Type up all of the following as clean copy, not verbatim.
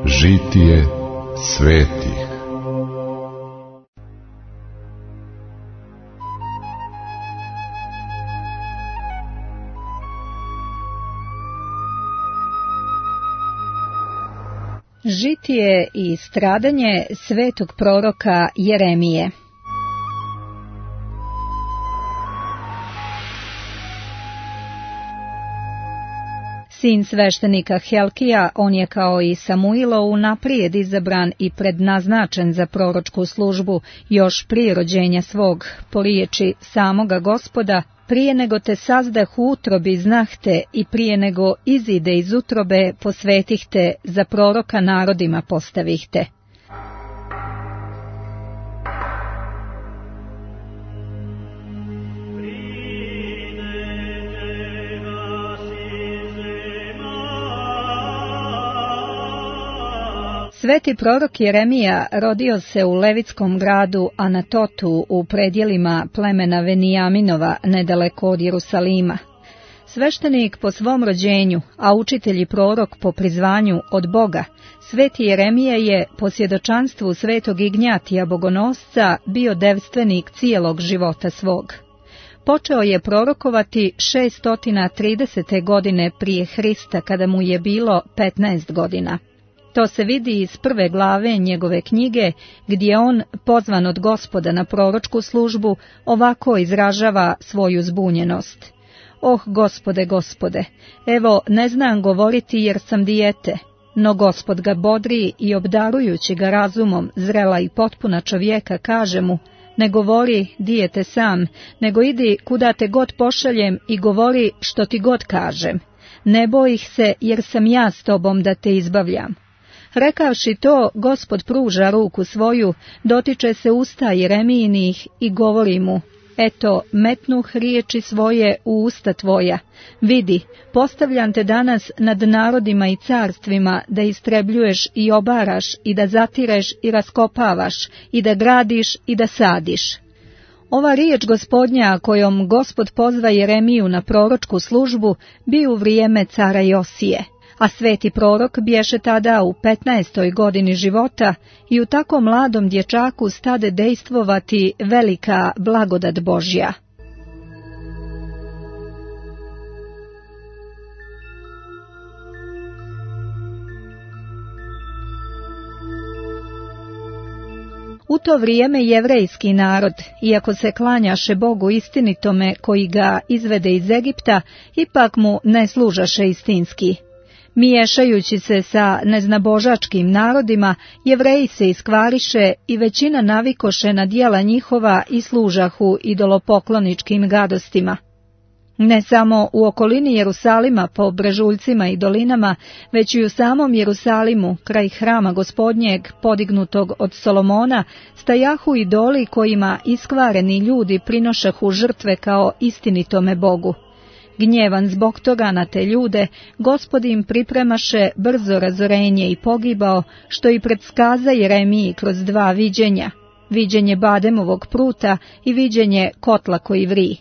Žitije svetih. Žitije i stradanje svetog proroka Jeremije. Sin sveštenika Helkija, on je kao i Samuilo unaprijed izabran i prednaznačen za proročku službu još prije rođenja svog, po riječi samoga Gospoda, prije nego te sazdah u utrobi znahte i prije nego izide iz utrobe posvetih te, za proroka narodima postavih te. Sveti prorok Jeremija rodio se u levitskom gradu Anatotu u predjelima plemena Venijaminova nedaleko od Jerusalima. Sveštenik po svom rođenju, a učitelj i prorok po prizvanju od Boga, sveti Jeremija je po svjedočanstvu svetog Ignjatija Bogonosca bio devstvenik cijelog života svog. Počeo je prorokovati 630. godine prije Hrista, kada mu je bilo 15 godina. To se vidi iz prve glave njegove knjige, gdje on, pozvan od Gospoda na proročku službu, ovako izražava svoju zbunjenost. Oh, Gospode, Gospode, evo, ne znam govoriti jer sam dijete, no Gospod ga bodri i obdarujući ga razumom, zrela i potpuna čovjeka, kaže mu, ne govori, dijete sam, nego idi kuda te god pošaljem i govori što ti god kažem. Ne boj ih se, jer sam ja s tobom da te izbavljam. Rekavši to, Gospod pruža ruku svoju, dotiče se usta Jeremijinih i govori mu, eto, metnuh riječi svoje u usta tvoja. Vidi, postavljam te danas nad narodima i carstvima, da istrebljuješ i obaraš, i da zatireš i raskopavaš, i da gradiš i da sadiš. Ova riječ Gospodnja, kojom Gospod pozva Jeremiju na proročku službu, bi u vrijeme cara Josije. A sveti prorok bješe tada u 15. godini života i u tako mladom dječaku stade dejstvovati velika blagodat Božja. U to vrijeme jevrejski narod, iako se klanjaše Bogu istinitome koji ga izvede iz Egipta, ipak mu ne služaše istinski. Miješajući se sa neznabožačkim narodima, Jevreji se iskvariše i većina navikoše na djela njihova i služahu idolopokloničkim gadostima. Ne samo u okolini Jerusalima po brežuljcima i dolinama, već i u samom Jerusalimu, kraj hrama Gospodnjeg, podignutog od Solomona, stajahu idoli kojima iskvareni ljudi prinošahu žrtve kao istinitome Bogu. Gnjevan zbog toga na te ljude, Gospod im pripremaše brzo razorenje i pogibao, što i predskaza Jeremiji kroz dva viđenja, viđenje Bademovog pruta i viđenje kotla koji vri.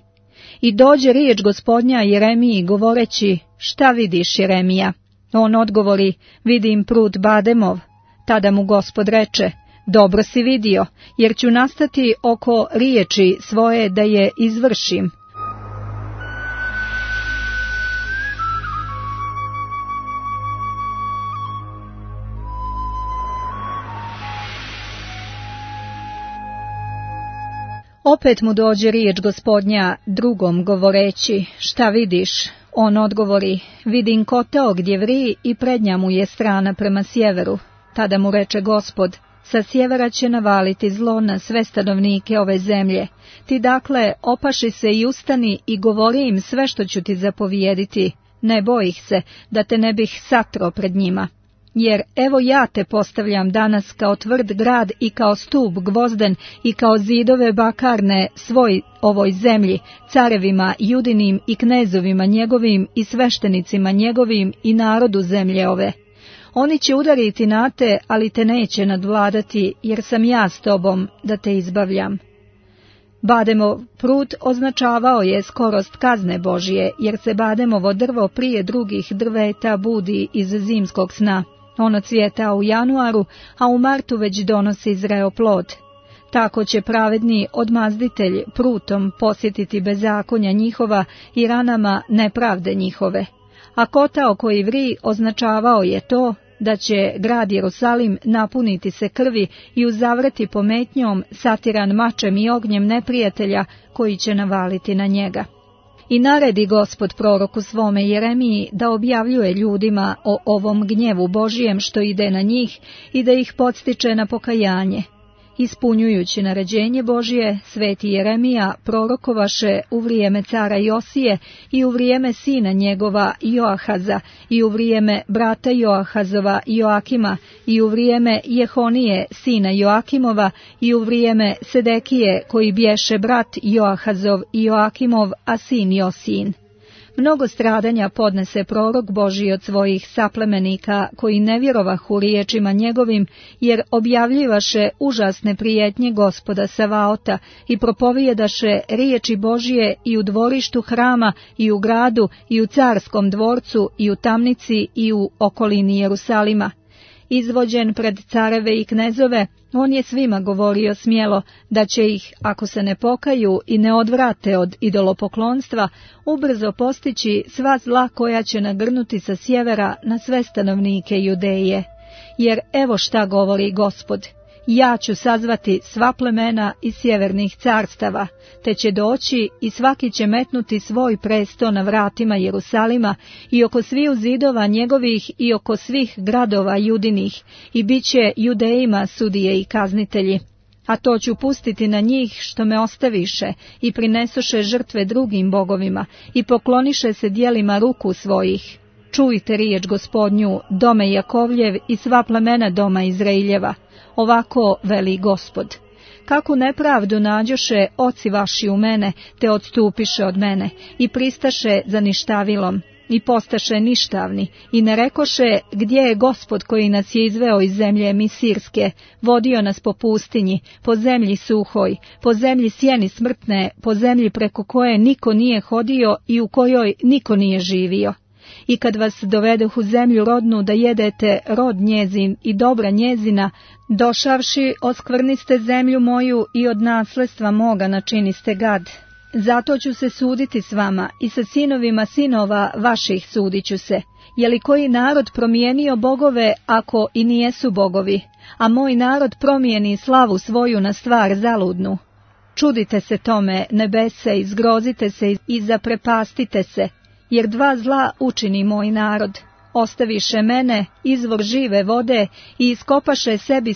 I dođe riječ Gospodnja Jeremiji govoreći, šta vidiš, Jeremija? On odgovori, vidim prut Bademov. Tada mu Gospod reče, dobro si vidio, jer ću nastati oko riječi svoje da je izvršim. Opet mu dođe riječ Gospodnja drugom govoreći, šta vidiš? On odgovori, vidim kotao gdje vri i prednja mu je strana prema sjeveru. Tada mu reče Gospod, sa sjevera će navaliti zlo na sve stanovnike ove zemlje. Ti dakle opaši se i ustani i govori im sve što ću ti zapovijediti. Ne boj ih se, da te ne bih satro pred njima. Jer evo ja te postavljam danas kao tvrd grad i kao stup gvozden i kao zidove bakarne svoj ovoj zemlji, carevima judinim i knezovima njegovim i sveštenicima njegovim i narodu zemlje ove. Oni će udariti na te, ali te neće nadvladati, jer sam ja s tobom da te izbavljam. Bademov prut označavao je skorost kazne Božje, jer se bademovo drvo prije drugih drveta budi iz zimskog sna. Ono cvjeta u januaru, a u martu već donosi zreo plod. Tako će pravedni odmazditelj prutom posjetiti bezakonja njihova i ranama nepravde njihove. A kotao koji vri označavao je to da će grad Jerusalim napuniti se krvi i uzavreti pometnjom, satiran mačem i ognjem neprijatelja koji će navaliti na njega. I naredi Gospod proroku svome Jeremiji da objavljuje ljudima o ovom gnjevu Božijem što ide na njih i da ih podstiče na pokajanje. Ispunjujući naređenje Božije, sveti Jeremija prorokovaše u vrijeme cara Josije i u vrijeme sina njegova Joahaza i u vrijeme brata Joahazova Joakima i u vrijeme Jehonije sina Joakimova i u vrijeme Sedekije koji bješe brat Joahazov i Joakimov, a sin Josin. Mnogo stradanja podnese prorok Božji od svojih saplemenika, koji ne vjerovahu riječima njegovim, jer objavljivaše užasne prijetnje Gospoda Savaota i propovijedaše riječi Božije i u dvorištu hrama, i u gradu, i u carskom dvorcu, i u tamnici, i u okolini Jerusalima. Izvođen pred careve i knezove, on je svima govorio smjelo da će ih, ako se ne pokaju i ne odvrate od idolopoklonstva, ubrzo postići sva zla koja će nagrnuti sa sjevera na sve stanovnike Judeje. Jer evo šta govori Gospod: ja ću sazvati sva plemena iz sjevernih carstava, te će doći i svaki će metnuti svoj presto na vratima Jerusalima i oko sviju zidova njegovih i oko svih gradova judinih, i bit će Judejima sudije i kaznitelji. A to ću pustiti na njih što me ostaviše i prinesoše žrtve drugim bogovima i pokloniše se djelima ruku svojih. Čujte riječ Gospodnju, dome Jakovljev i sva plemena doma Izraeljeva. Ovako veli Gospod: kakvu nepravdu nađoše oci vaši u mene, te odstupiše od mene, i pristaše za ništavilom, i postaše ništavni, i ne rekoše: gdje je Gospod koji nas je izveo iz zemlje Misirske, vodio nas po pustinji, po zemlji suhoj, po zemlji sjeni smrtne, po zemlji preko koje niko nije hodio i u kojoj niko nije živio. I kad vas dovedoh u zemlju rodnu da jedete rod njezin i dobra njezina, došavši oskvrniste zemlju moju i od nasledstva moga načiniste gad. Zato ću se suditi s vama i sa sinovima sinova vaših sudit ću se. Je li koji narod promijenio bogove ako i nijesu bogovi, a moj narod promijeni slavu svoju na stvar zaludnu? Čudite se tome, nebese, i zgrozite se i zaprepastite se, jer dva zla učini moj narod. Ostaviše mene, izvor žive vode, i iskopaše sebi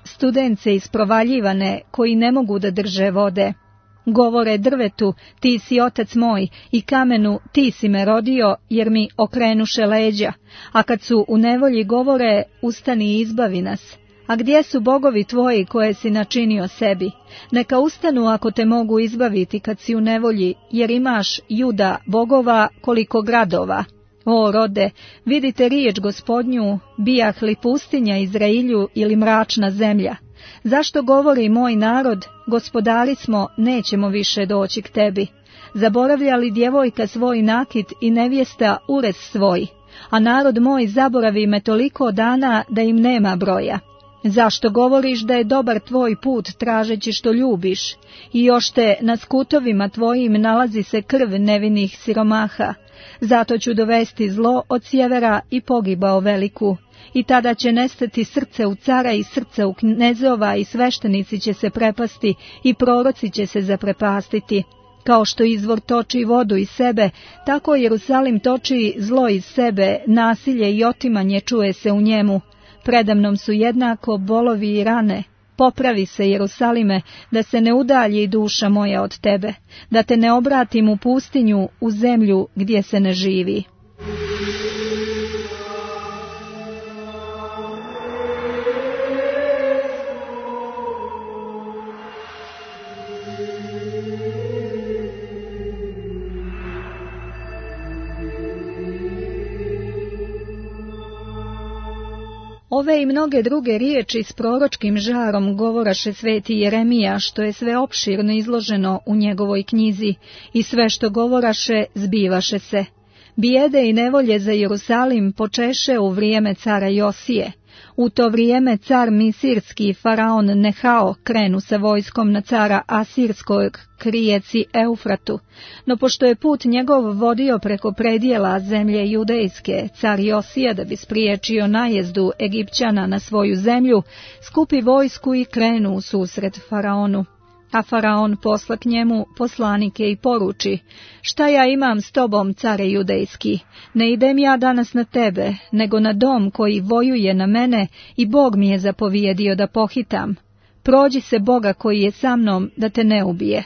studence isprovaljivane, koji ne mogu da drže vode. Govore drvetu: ti si otac moj, i kamenu: ti si me rodio, jer mi okrenuše leđa. A kad su u nevolji govore: ustani i izbavi nas. A gdje su bogovi tvoji koje si načinio sebi? Neka ustanu ako te mogu izbaviti kad si u nevolji, jer imaš, Juda, bogova koliko gradova. O rode, vidite riječ Gospodnju, bijah li pustinja Izrailju ili mračna zemlja? Zašto govori moj narod: gospodari smo, nećemo više doći k tebi? Zaboravlja li djevojka svoj nakit i nevjesta urez svoj? A narod moj zaboravi me toliko dana da im nema broja. Zašto govoriš da je dobar tvoj put tražeći što ljubiš? I još te na skutovima tvojim nalazi se krv nevinih siromaha. Zato ću dovesti zlo od sjevera i pogibao veliku. I tada će nestati srce u cara i srce u knezova, i sveštenici će se prepasti i proroci će se zaprepastiti. Kao što izvor toči vodu iz sebe, tako Jerusalim toči zlo iz sebe, nasilje i otimanje čuje se u njemu. Predamnom su jednako bolovi i rane. Popravi se, Jerusalime, da se ne udalji duša moja od tebe, da te ne obratim u pustinju, u zemlju gdje se ne živi. Ove i mnoge druge riječi s proročkim žarom govoraše sveti Jeremija, što je sve opširno izloženo u njegovoj knjizi, i sve što govoraše zbivaše se. Bijede i nevolje za Jerusalim počeše u vrijeme cara Josije. U to vrijeme car Misirski faraon Nehao krenu sa vojskom na cara Asirskog k rijeci Eufratu, no pošto je put njegov vodio preko predjela zemlje judejske, car Josija, da bi spriječio najezdu Egipćana na svoju zemlju, skupi vojsku i krenu u susret faraonu. A faraon posla k njemu poslanike i poruči: šta ja imam s tobom, care judejski? Ne idem ja danas na tebe, nego na dom koji vojuje na mene, i Bog mi je zapovijedio da pohitam. Prođi se Boga koji je sa mnom, da te ne ubije.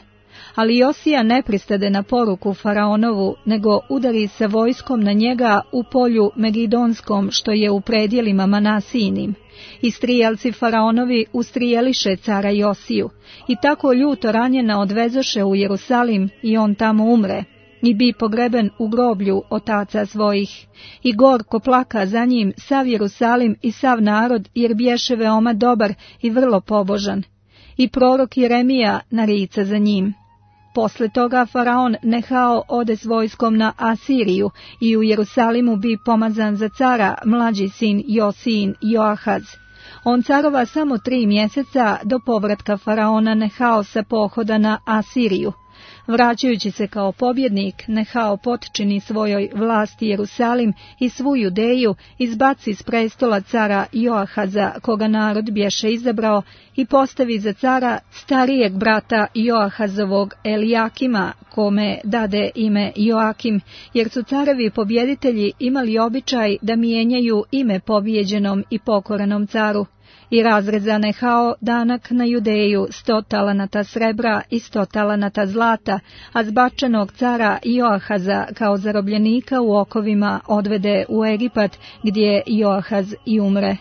Ali Josija ne pristade na poruku faraonovu, nego udari sa vojskom na njega u polju Megidonskom, što je u predjelima Manasijinim. I strijelci faraonovi ustrijeliše cara Josiju, i tako ljuto ranjena odvezoše u Jerusalim, i on tamo umre, i bi pogreben u groblju otaca svojih. I gorko plaka za njim sav Jerusalim i sav narod, jer bješe veoma dobar i vrlo pobožan. I prorok Jeremija narica za njim. Posle toga faraon Nehao ode s vojskom na Asiriju, i u Jerusalimu bi pomazan za cara mlađi sin Josijin Joahaz. On carova samo 3 mjeseca do povratka faraona Nehao sa pohoda na Asiriju. Vraćajući se kao pobjednik, Nehao potčini svojoj vlasti Jerusalim i svu Judeju, izbaci s prestola cara Joahaza, koga narod bješe izabrao, i postavi za cara starijeg brata Joahazovog Elijakima, kome dade ime Joakim, jer su carevi pobjeditelji imali običaj da mijenjaju ime pobijeđenom i pokorenom caru. I razreza Nehao danak na Judeju 100 talanata srebra i 100 talanata zlata, a zbačenog cara Joahaza kao zarobljenika u okovima odvede u Egipat, gdje Joahaz i umre.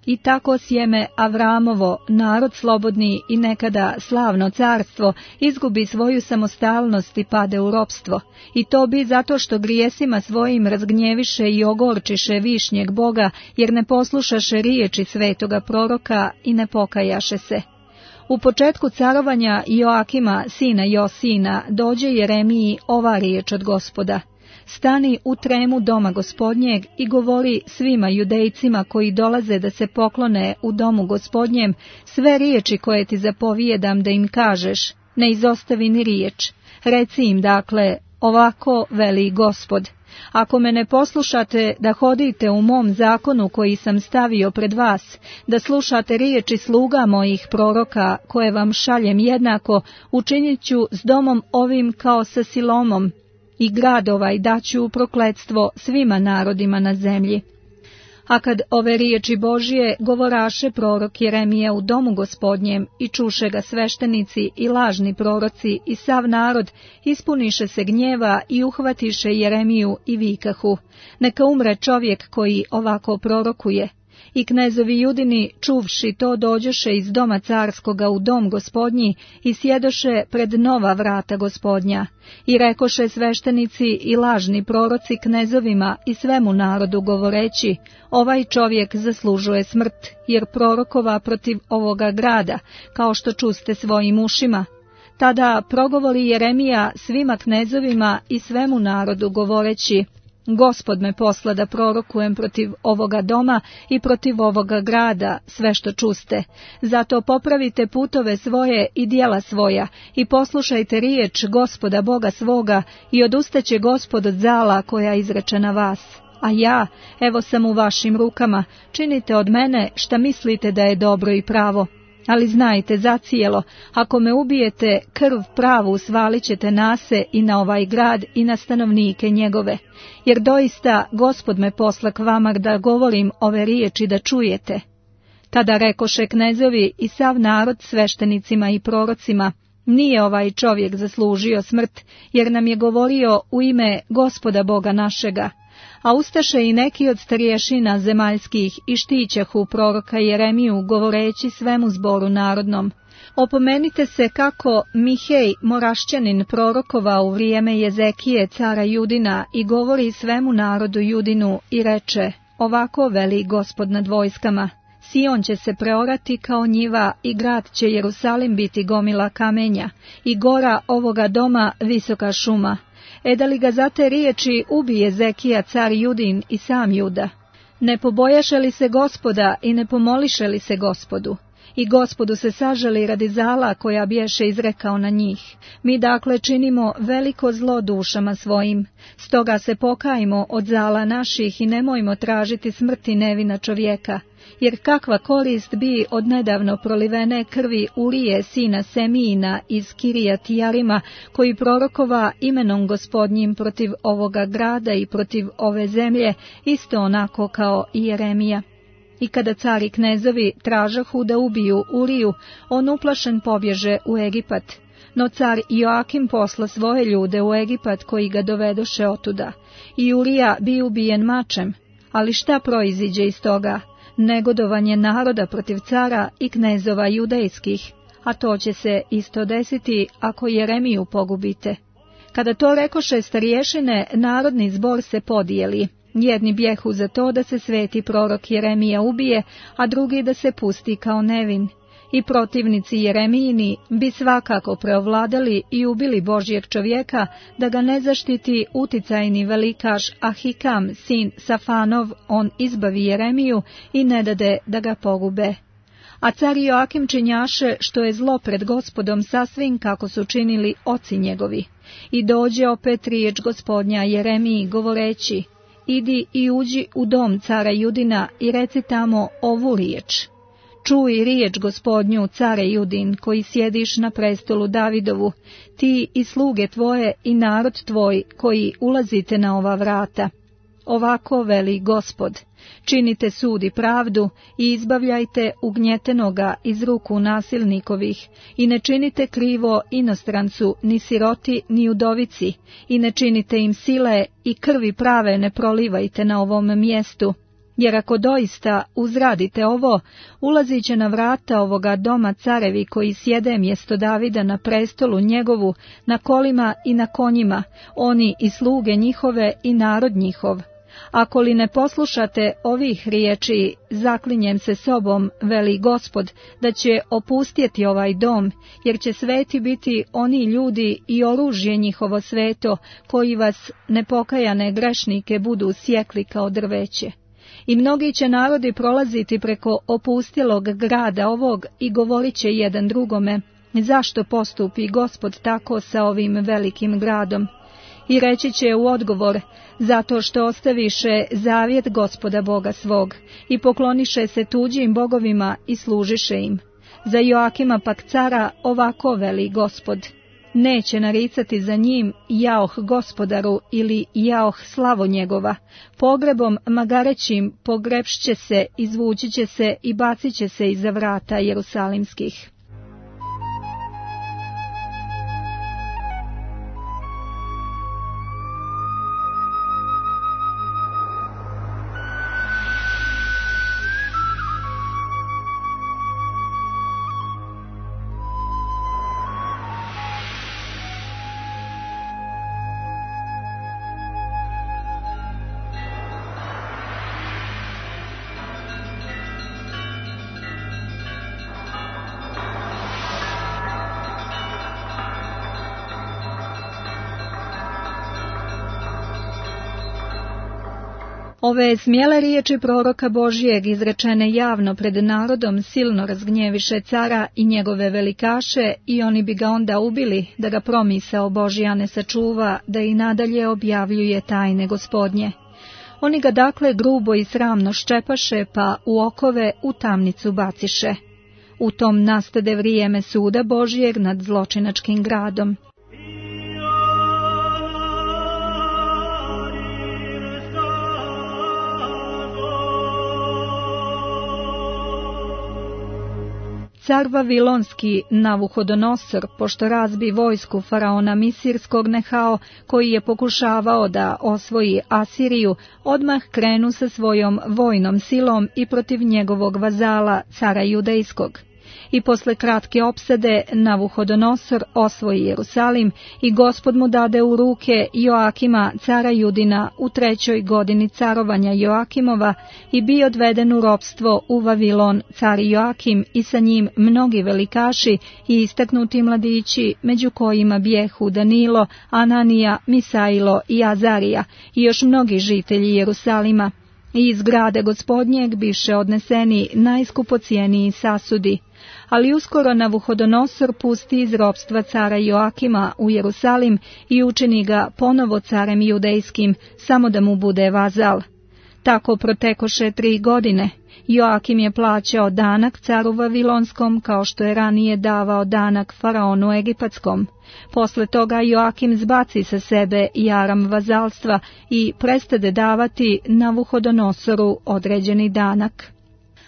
I tako sjeme Avramovo, narod slobodni i nekada slavno carstvo, izgubi svoju samostalnost i pade u ropstvo. I to bi zato što grijesima svojim razgnjeviše i ogorčiše višnjeg Boga, jer ne poslušaše riječi svetoga proroka i ne pokajaše se. U početku carovanja Joakima, sina Josijina, dođe Jeremiji ova riječ od Gospoda: stani u tremu doma Gospodnjeg i govori svima Judejcima koji dolaze da se poklone u domu Gospodnjem sve riječi koje ti zapovijedam da im kažeš, ne izostavi ni riječ. Reci im dakle, ovako veli Gospod: ako me ne poslušate da hodite u mom zakonu koji sam stavio pred vas, da slušate riječi sluga mojih proroka koje vam šaljem jednako, učinit ću s domom ovim kao sa Silomom, i grad ovaj daću u prokletstvo svima narodima na zemlji. A kad ove riječi Božije govoraše prorok Jeremija u domu Gospodnjem i čuše ga sveštenici i lažni proroci i sav narod, ispuniše se gnjeva i uhvatiše Jeremiju i vikahu: neka umre čovjek koji ovako prorokuje. I knezovi Judini, čuvši to, dođoše iz doma carskoga u dom Gospodnji i sjedoše pred nova vrata Gospodnja. I rekoše sveštenici i lažni proroci knezovima i svemu narodu govoreći: ovaj čovjek zaslužuje smrt, jer prorokova protiv ovoga grada, kao što čuste svojim ušima. Tada progovori Jeremija svima knezovima i svemu narodu govoreći: Gospod me posla da prorokujem protiv ovoga doma i protiv ovoga grada sve što čuste. Zato popravite putove svoje i djela svoja i poslušajte riječ Gospoda Boga svoga i odustaće Gospod od zala koja izreče na vas. A ja, evo sam u vašim rukama, činite od mene šta mislite da je dobro i pravo. Ali znajte zacijelo, ako me ubijete, krv pravu svalit ćete na se i na ovaj grad i na stanovnike njegove, jer doista Gospod me posla k vama da govorim ove riječi da čujete. Tada rekoše knezovi i sav narod sveštenicima i prorocima: nije ovaj čovjek zaslužio smrt, jer nam je govorio u ime Gospoda Boga našega, a ustaše i neki od starješina zemaljskih i štićahu proroka Jeremiju, govoreći svemu zboru narodnom: opomenite se kako Mihej Morašćanin prorokova u vrijeme Jezekije cara Judina i govori svemu narodu Judinu i reče: ovako veli Gospod nad vojskama, Sion će se preorati kao njiva i grad će Jerusalim biti gomila kamenja i gora ovoga doma visoka šuma. Da li ga za te riječi ubije Jezekija car Judin i sam Juda? Ne pobojaše li se Gospoda i ne pomoliše li se Gospodu? I Gospodu se sažali radi zala koja biješe izrekao na njih. Mi dakle činimo veliko zlo dušama svojim, stoga se pokajmo od zala naših i nemojmo tražiti smrti nevina čovjeka, jer kakva korist bi od nedavno prolivene krvi Urije sina Semijina iz Kirijat Jarima, koji prorokova imenom Gospodnjim protiv ovoga grada i protiv ove zemlje, isto onako kao i Jeremija. I kada cari knezovi tražahu da ubiju Uriju, on uplašen pobježe u Egipat. No car Joakim posla svoje ljude u Egipat koji ga dovedoše otuda. I Urija bi ubijen mačem. Ali šta proiziđe iz toga? Negodovanje naroda protiv cara i knezova judejskih, a to će se isto desiti ako Jeremiju pogubite. Kada to rekoše starješine, narodni zbor se podijeli. Jedni bjehu za to da se sveti prorok Jeremija ubije, a drugi da se pusti kao nevin. I protivnici Jeremijini bi svakako preovladali i ubili Božjeg čovjeka, da ga ne zaštiti uticajni velikaš Ahikam, sin Safanov, on izbavi Jeremiju i ne dade da ga pogube. A car Joakim činjaše što je zlo pred Gospodom sasvim kako su činili oci njegovi. I dođe opet riječ Gospodnja Jeremiji govoreći: idi i uđi u dom cara Judina i reci tamo ovu riječ. Čuj riječ Gospodnju, care Judin, koji sjediš na prestolu Davidovu, ti i sluge tvoje i narod tvoj koji ulazite na ova vrata. Ovako veli Gospod: činite sud i pravdu i izbavljajte ugnjetenoga iz ruku nasilnikovih i ne činite krivo inostrancu, ni siroti, ni udovici, i ne činite im sile i krvi prave ne prolivajte na ovom mjestu. Jer ako doista uzradite ovo, ulazit će na vrata ovoga doma carevi koji sjede mjesto Davida na prestolu njegovu, na kolima i na konjima, oni i sluge njihove i narod njihov. Ako li ne poslušate ovih riječi, zaklinjem se sobom, veli Gospod, da će opustjeti ovaj dom, jer će sveti biti oni ljudi i oružje njihovo sveto, koji vas nepokajane grešnike budu sjekli kao drveće. I mnogi će narodi prolaziti preko opustjelog grada ovog i govorit će jedan drugome: zašto postupi Gospod tako sa ovim velikim gradom? I reći će u odgovor: zato što ostaviše zavjet Gospoda Boga svog i pokloniše se tuđim bogovima i služiše im. Za Joakima pak cara ovako veli Gospod: neće naricati za njim jaoh Gospodaru ili jaoh slavo njegova, pogrebom magarećim pogrebšće se, izvući će se i bacit će se iza vrata jerusalimskih. Ove smjele riječi proroka Božijeg izrečene javno pred narodom silno razgnjeviše cara i njegove velikaše i oni bi ga onda ubili da ga promisao Božja ne sačuva da i nadalje objavljuje tajne Gospodnje. Oni ga dakle grubo i sramno ščepaše pa u okove u tamnicu baciše. U tom nastade vrijeme suda Božijeg nad zločinačkim gradom. Car Vavilonski Navuhodonosor, pošto razbi vojsku faraona Misirskog Nehao, koji je pokušavao da osvoji Asiriju, odmah krenu sa svojom vojnom silom i protiv njegovog vazala, cara Judejskog. I posle kratke opsade Navuhodonosor osvoji Jerusalim i Gospod mu dade u ruke Joakima, cara Judina, u 3. godini carovanja Joakimova i bio odveden u ropstvo u Vavilon car Joakim i sa njim mnogi velikaši i istaknuti mladići, među kojima bijehu Danilo, Ananija, Misailo i Azarija i još mnogi žitelji Jerusalima. I iz grada Gospodnjeg biše odneseni najskupocijeniji sasudi. Ali uskoro Navuhodonosor pusti iz ropstva cara Joakima u Jerusalim i učini ga ponovo carem judejskim, samo da mu bude vazal. Tako protekoše 3 godine. Joakim je plaćao danak caru Vavilonskom, kao što je ranije davao danak faraonu egipatskom. Posle toga Joakim zbaci sa sebe jaram vazalstva i prestade davati Navuhodonosoru određeni danak.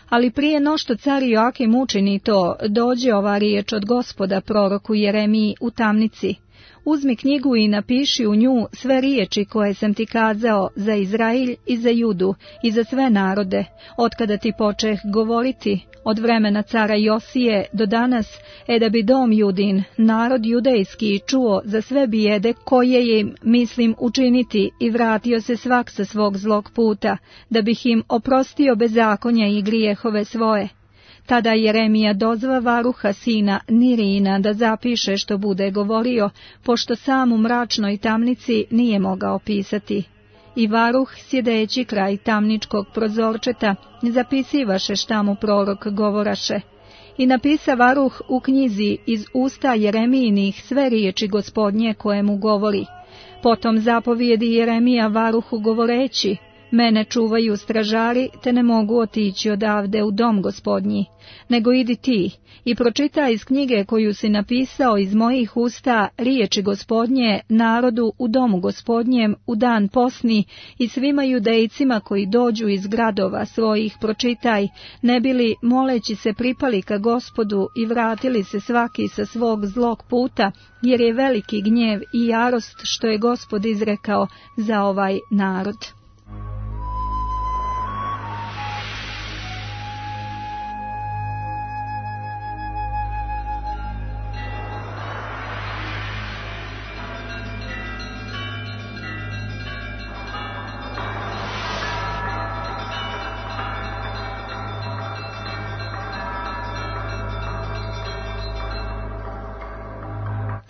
Ali prije no što car Joakim učini to, dođe ova riječ od Gospoda proroku Jeremiji u tamnici. Uzmi knjigu i napiši u nju sve riječi koje sam ti kazao za Izrailj i za Judu i za sve narode, otkada ti počeh govoriti, od vremena cara Josije do danas, da bi dom Judin, narod judejski, čuo za sve bijede koje im mislim učiniti i vratio se svak sa svog zlog puta, da bih im oprostio bezakonja i grijehove svoje. Tada Jeremija dozva Varuha sina Nirina da zapiše što bude govorio, pošto sam u mračnoj tamnici nije mogao pisati. I Varuh, sjedeći kraj tamničkog prozorčeta, zapisivaše šta mu prorok govoraše. I napisa Varuh u knjizi iz usta Jeremijinih sve riječi Gospodnje koje mu govori. Potom zapovijedi Jeremija Varuhu govoreći: Mene čuvaju stražari, te ne mogu otići odavde u dom Gospodnji, nego idi ti i pročitaj iz knjige koju si napisao iz mojih usta riječi Gospodnje narodu u domu Gospodnjem u dan posni i svima judejcima koji dođu iz gradova svojih pročitaj, ne bili moleći se pripali ka Gospodu i vratili se svaki sa svog zlog puta, jer je veliki gnjev i jarost što je Gospod izrekao za ovaj narod.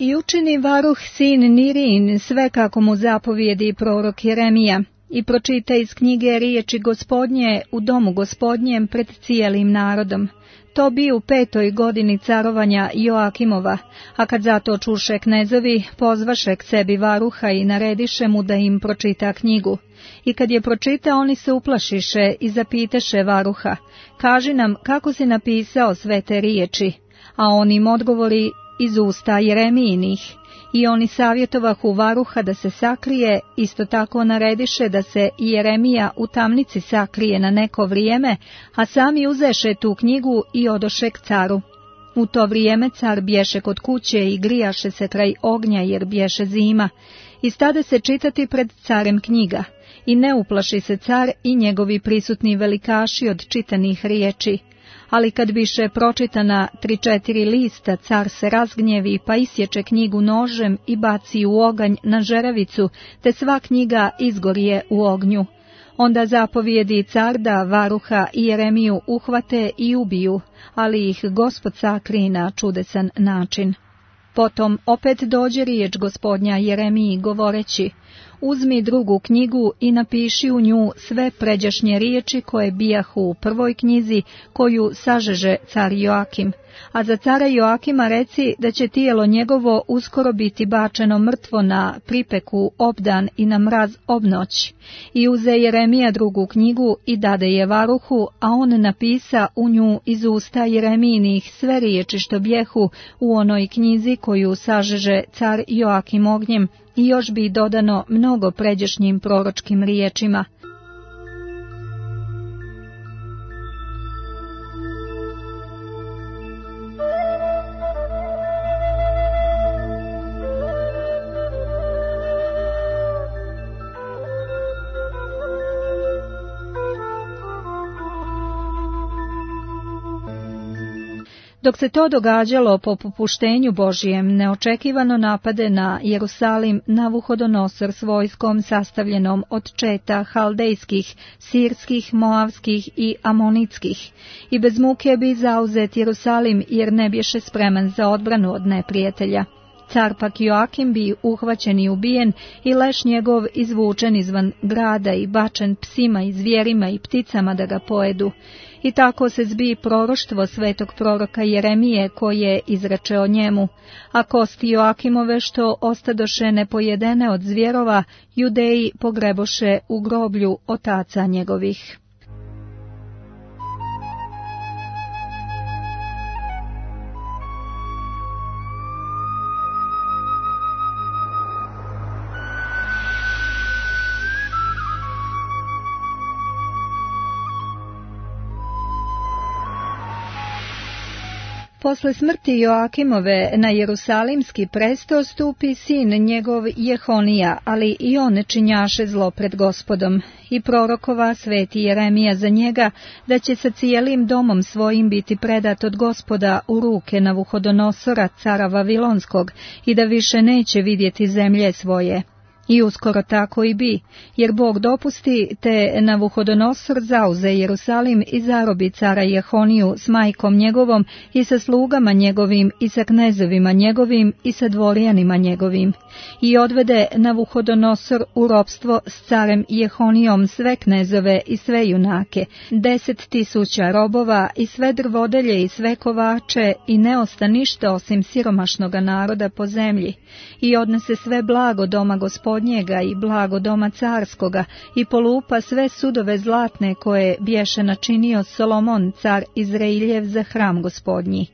I učini Varuh sin Nirin sve kako mu zapovijedi prorok Jeremija i pročita iz knjige riječi Gospodnje u domu Gospodnjem pred cijelim narodom. To bi u 5. godini carovanja Joakimova, a kad zato čuše knezovi, pozvaše k sebi Varuha i narediše mu da im pročita knjigu. I kad je pročita, oni se uplašiše i zapiteše Varuha: Kaži nam kako si napisao sve te riječi, a on im odgovori: iz usta Jeremijinih. I oni savjetovahu Varuha da se sakrije, isto tako narediše da se Jeremija u tamnici sakrije na neko vrijeme, a sami uzeše tu knjigu i odoše k caru. U to vrijeme car bješe kod kuće i grijaše se kraj ognja jer bješe zima. I stade se čitati pred carem knjiga. I ne uplaši se car i njegovi prisutni velikaši od čitanih riječi. Ali kad biše pročitana 3-4 lista, car se razgnjevi pa isječe knjigu nožem i baci u oganj na žeravicu, te sva knjiga izgorije u ognju. Onda zapovijedi car da Varuha i Jeremiju uhvate i ubiju, ali ih Gospod sakri na čudesan način. Potom opet dođe riječ Gospodnja Jeremiji govoreći: Uzmi drugu knjigu i napiši u nju sve pređašnje riječi koje bijahu u prvoj knjizi koju sažeže car Joakim, a za cara Joakima reci da će tijelo njegovo uskoro biti bačeno mrtvo na pripeku obdan i na mraz obnoć. I uze Jeremija drugu knjigu i dade je Varuhu, a on napisa u nju iz usta Jeremijinih sve riječi što bijehu u onoj knjizi koju sažeže car Joakim ognjem, i još bi dodano mnogo pređašnjim proročkim riječima. Dok se to događalo po popuštenju Božijem, neočekivano napade na Jerusalim Navuhodonosor s vojskom sastavljenom od četa haldejskih, sirskih, moavskih i amonitskih, i bez muke bi zauzet Jerusalim jer ne bješe spreman za odbranu od neprijatelja. Car pak Joakim bi uhvaćen i ubijen i leš njegov izvučen izvan grada i bačen psima i zvijerima i pticama da ga pojedu. I tako se zbi proroštvo svetog proroka Jeremije koje izreče o njemu, a kosti Joakimove što ostadoše nepojedene od zvjerova, Judeji pogreboše u groblju otaca njegovih. Posle smrti Joakimove na Jerusalimski presto stupi sin njegov Jehonija, ali i on činjaše zlo pred Gospodom. I prorokova sveti Jeremija za njega da će sa cijelim domom svojim biti predat od Gospoda u ruke Navuhodonosora, cara Vavilonskog, i da više neće vidjeti zemlje svoje. I uskoro tako i bi, jer Bog dopusti, te Navuhodonosor zauze Jerusalim i zarobi cara Jehoniju s majkom njegovom i sa slugama njegovim i sa knezovima njegovim i sa dvorjanima njegovim. I odvede Navuhodonosor u ropstvo s carem Jehonijom sve knezove i sve junake, 10.000 robova i sve drvodelje i sve kovače, i ne osta ništa osim siromašnoga naroda po zemlji. I odnese sve blago doma Gospodnjega i blago doma carskoga i polupa sve sudove zlatne koje bješe načinio Solomon car Izrailjev za hram Gospodnji.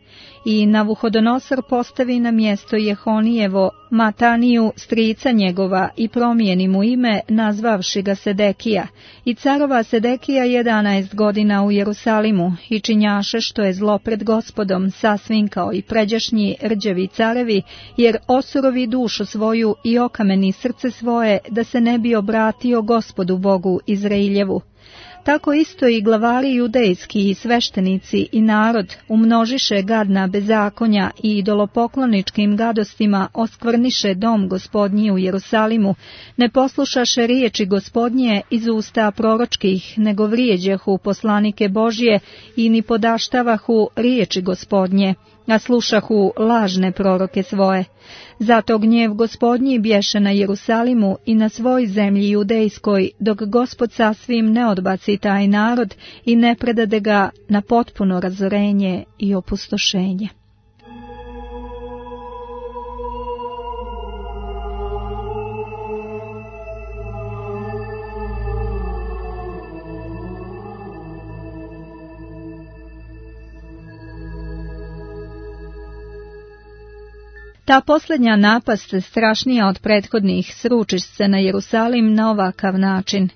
I Navuhodonosor postavi na mjesto Jehonijevo Mataniju, strica njegova, i promijeni mu ime, nazvavši ga Sedekija. I carova Sedekija 11 godina u Jerusalimu i činjaše što je zlo pred Gospodom, sasvim kao i pređašnji rđevi carevi, jer osurovi dušu svoju i okameni srce svoje, da se ne bi obratio Gospodu Bogu Izrailjevu. Tako isto i glavari judejski i sveštenici i narod umnožiše gadna bezakonja i idolopokloničkim gadostima oskvrniše dom Gospodnji u Jerusalimu, ne poslušaše riječi Gospodnje iz usta proročkih, nego vrijeđahu poslanike Božje i ni podaštavahu riječi Gospodnje, a slušahu lažne proroke svoje. Zato gnjev Gospodnji bješe na Jerusalimu i na svoj zemlji judejskoj, dok Gospod sasvim ne odbaci taj narod i ne predade ga na potpuno razorenje i opustošenje. Ta posljednja napast, strašnija od prethodnih, sruči se na Jerusalim na ovakav način.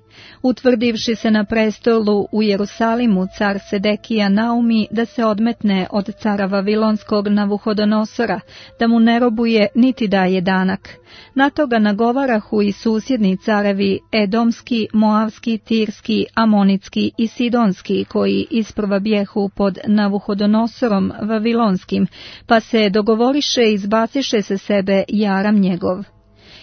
Utvrdivši se na prestolu u Jerusalimu, car Sedekija naumi da se odmetne od cara Vavilonskog Navuhodonosora, da mu ne robuje niti daje danak. Na to ga nagovarahu i susjedni carevi Edomski, Moavski, Tirski, Amonitski i Sidonski, koji isprva bjehu pod Navuhodonosorom Vavilonskim, pa se dogovoriše i izbaciše se sebe jaram njegov.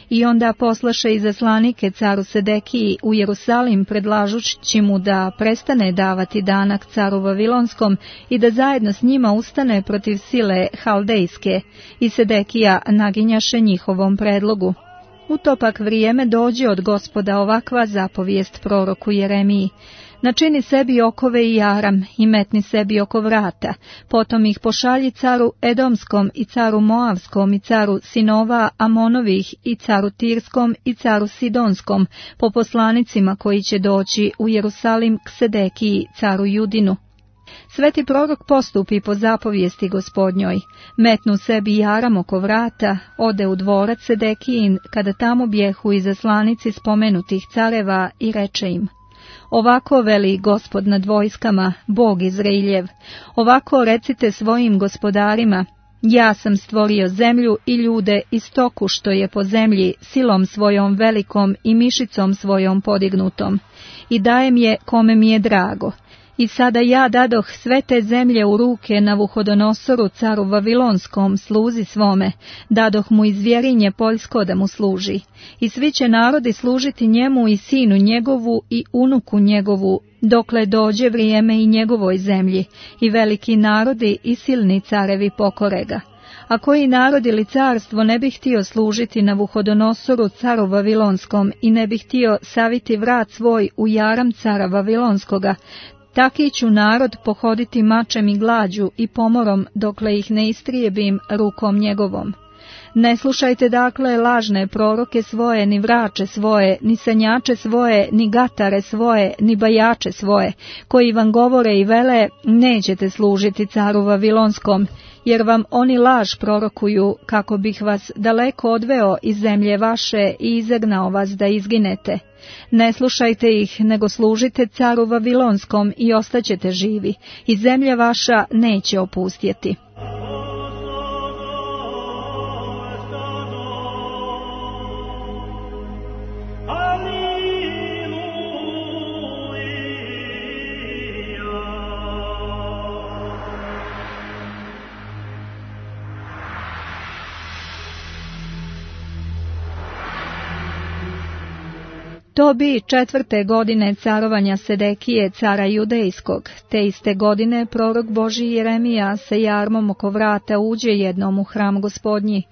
I onda poslaše izaslanike caru Sedekiji u Jerusalim, predlažući mu da prestane davati danak caru Vavilonskom i da zajedno s njima ustane protiv sile haldejske, i Sedekija naginjaše njihovom predlogu. U to pak vrijeme dođe od Gospoda ovakva zapovijest proroku Jeremiji: načini sebi okove i jaram i metni sebi oko vrata, potom ih pošalji caru Edomskom i caru Moavskom i caru sinova Amonovih i caru Tirskom i caru Sidonskom, po poslanicima koji će doći u Jerusalim k Sedekiji, caru Judinu. Sveti prorok postupi po zapovijesti Gospodnjoj, metnu sebi jaram oko vrata, ode u dvorac Sedekijin, kada tamo bjehu izaslanici spomenutih careva, i reče im: ovako veli Gospod nad vojskama, Bog Izrailjev, ovako recite svojim gospodarima: ja sam stvorio zemlju i ljude i stoku što je po zemlji, silom svojom velikom i mišicom svojom podignutom, i dajem je kome mi je drago. I sada ja dadoh sve te zemlje u ruke Navuhodonosoru, caru Vavilonskom, sluzi svome, dadoh mu i zvjerinje poljsko da mu služi. I svi će narodi služiti njemu i sinu njegovu i unuku njegovu, dokle dođe vrijeme i njegovoj zemlji, i veliki narodi i silni carevi pokore ga. A koji narod ili carstvo ne bi htio služiti Navuhodonosoru, caru Vavilonskom, i ne bi htio saviti vrat svoj u jaram cara Vavilonskoga, taki ću narod pohoditi mačem i glađu i pomorom, dokle ih ne istrijebim rukom njegovom. Ne slušajte dakle lažne proroke svoje, ni vrače svoje, ni sanjače svoje, ni gatare svoje, ni bajače svoje, koji vam govore i vele, nećete služiti caru Vavilonskom, jer vam oni laž prorokuju, kako bih vas daleko odveo iz zemlje vaše i izagnao vas da izginete. Ne slušajte ih, nego služite caru Vavilonskom i ostaćete živi, i zemlja vaša neće opustjeti. To bi 4. godine carovanja Sedekije, cara Judejskog. Te iste godine prorok Božji Jeremija sa jarmom oko vrata uđe jednom u hram Gospodnji.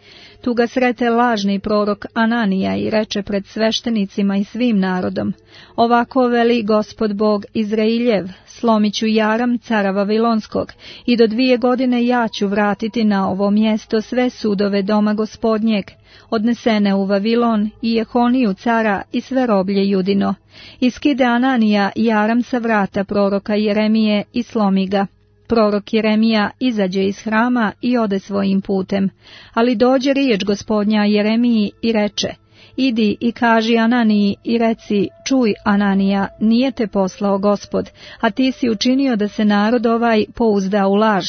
Tu ga srete lažni prorok Ananija i reče pred sveštenicima i svim narodom: ovako veli Gospod Bog Izrailjev, slomit ću jaram cara Vavilonskog i do 2 godine ja ću vratiti na ovo mjesto sve sudove doma Gospodnjeg, odnesene u Vavilon, i Jehoniju cara i sve roblje Judino. Iskide Ananija jaram sa vrata proroka Jeremije i slomi ga. Prorok Jeremija izađe iz hrama i ode svojim putem, ali dođe riječ Gospodnja Jeremiji i reče: idi i kaži Ananiji i reci: čuj, Ananija, nije te poslao Gospod, a ti si učinio da se narod ovaj pouzda u laž.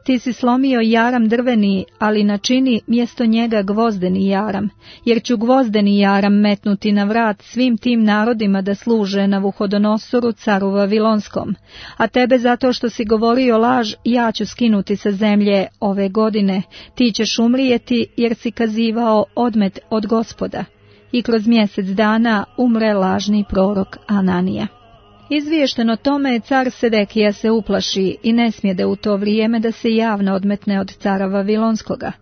Ti si slomio jaram drveni, ali načini mjesto njega gvozdeni jaram, jer ću gvozdeni jaram metnuti na vrat svim tim narodima da služe Navuhodonosoru, caru Vavilonskom. A tebe, zato što si govorio laž, ja ću skinuti sa zemlje ove godine. Ti ćeš umrijeti, jer si kazivao odmet od Gospoda. I kroz mjesec dana umre lažni prorok Ananija. Izvješteno tome, car Sedekija se uplaši i ne smjede u to vrijeme da se javno odmetne od cara Vavilonskoga.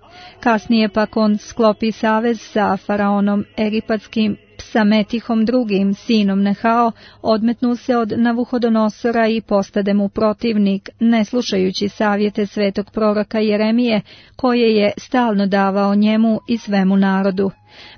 Kasnije pak on sklopi savez sa faraonom egipatskim Psametihom II, sinom Nehao, odmetnu se od Navuhodonosora i postade mu protivnik, ne slušajući savjete svetog proroka Jeremije, koje je stalno davao njemu i svemu narodu.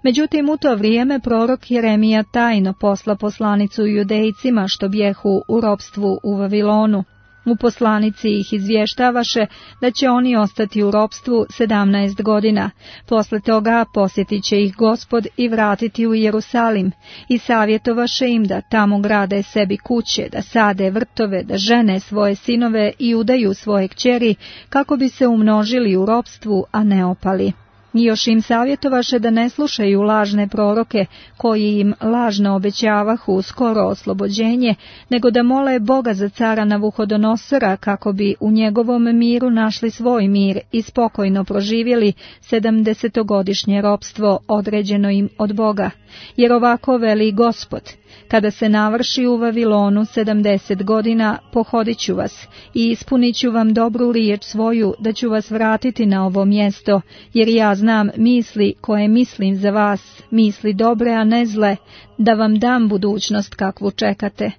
Međutim, u to vrijeme prorok Jeremija tajno posla poslanicu Judejcima što bjehu u ropstvu u Vavilonu. U poslanici ih izvještavaše da će oni ostati u ropstvu 17 godina. Posle toga posjetit će ih Gospod i vratiti u Jerusalim, i savjetovaše im da tamo grade sebi kuće, da sade vrtove, da žene svoje sinove i udaju svoje kćeri, kako bi se umnožili u ropstvu, a ne opali. I još im savjetovaše da ne slušaju lažne proroke, koji im lažno obećavahu skoro oslobođenje, nego da mole Boga za cara Navuhodonosora, kako bi u njegovom miru našli svoj mir i spokojno proživjeli 70-godišnje ropstvo određeno im od Boga. Jer ovako veli Gospod: kada se navrši u Vavilonu 70 godina, pohodit ću vas i ispunit ću vam dobru riječ svoju, da ću vas vratiti na ovo mjesto, jer ja znam misli koje mislim za vas, misli dobre, a ne zle, da vam dam budućnost kakvu čekate.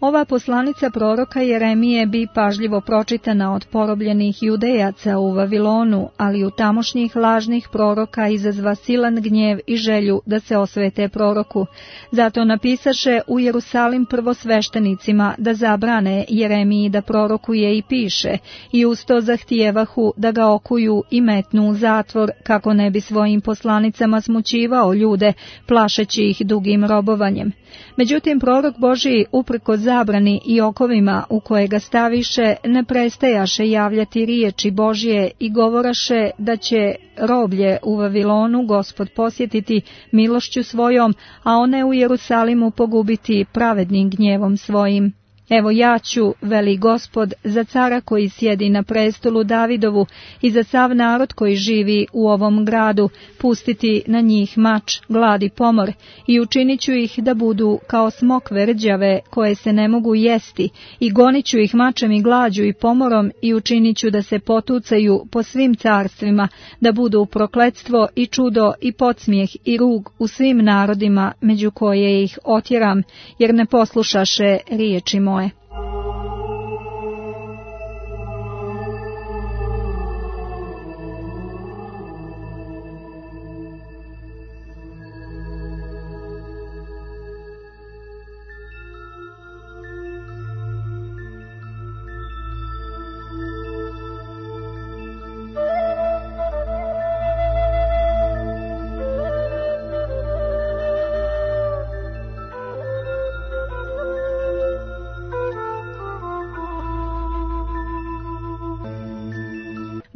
Ova poslanica proroka Jeremije bi pažljivo pročitana od porobljenih Judejaca u Vavilonu, ali u tamošnjih lažnih proroka izazva silan gnjev i želju da se osvete proroku. Zato napisaše u Jerusalim prvosveštenicima da zabrane Jeremiji da prorokuje i piše, i usto zahtijevahu da ga okuju i metnu u zatvor, kako ne bi svojim poslanicama smućivao ljude, plašeći ih dugim robovanjem. Međutim, prorok Božiji, uprkos zabrani i okovima u koje ga staviše, ne prestajaše javljati riječi Božje i govoraše da će roblje u Vavilonu Gospod posjetiti milošću svojom, a one u Jerusalimu pogubiti pravednim gnjevom svojim. Evo ja ću, veli Gospod, za cara koji sjedi na prestolu Davidovu i za sav narod koji živi u ovom gradu, pustiti na njih mač, glad i pomor, i učinit ću ih da budu kao smokve rđave koje se ne mogu jesti, i gonit ću ih mačem i glađu i pomorom, i učinit ću da se potucaju po svim carstvima, da budu prokletstvo i čudo i podsmijeh i rug u svim narodima među koje ih otjeram, jer ne poslušaše riječi moje.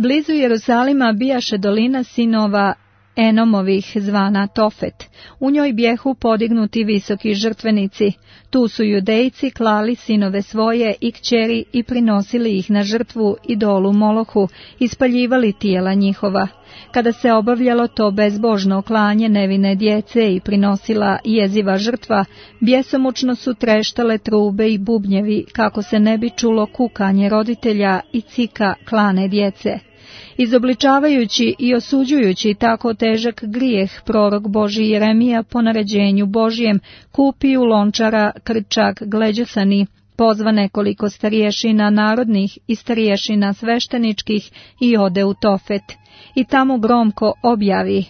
Blizu Jerusalima bijaše dolina sinova Enomovih zvana Tofet. U njoj bjehu podignuti visoki žrtvenici. Tu su Judejci klali sinove svoje i kćeri i prinosili ih na žrtvu idolu Molohu, ispaljivali tijela njihova. Kada se obavljalo to bezbožno klanje nevine djece i prinosila jeziva žrtva, bjesomučno su treštale trube i bubnjevi, kako se ne bi čulo kukanje roditelja i cika klane djece. Izobličavajući i osuđujući tako težak grijeh, prorok Božji Jeremija po naređenju Božjem kupi u lončara krčak gleđosani, pozva nekoliko starješina narodnih i starješina svešteničkih i ode u Tofet. I tamo gromko objavi: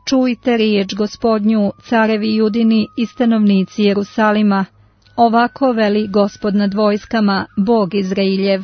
čujte riječ Gospodnju, carevi Judini i stanovnici Jerusalima. Ovako veli Gospod nad vojskama, Bog Izrailjev.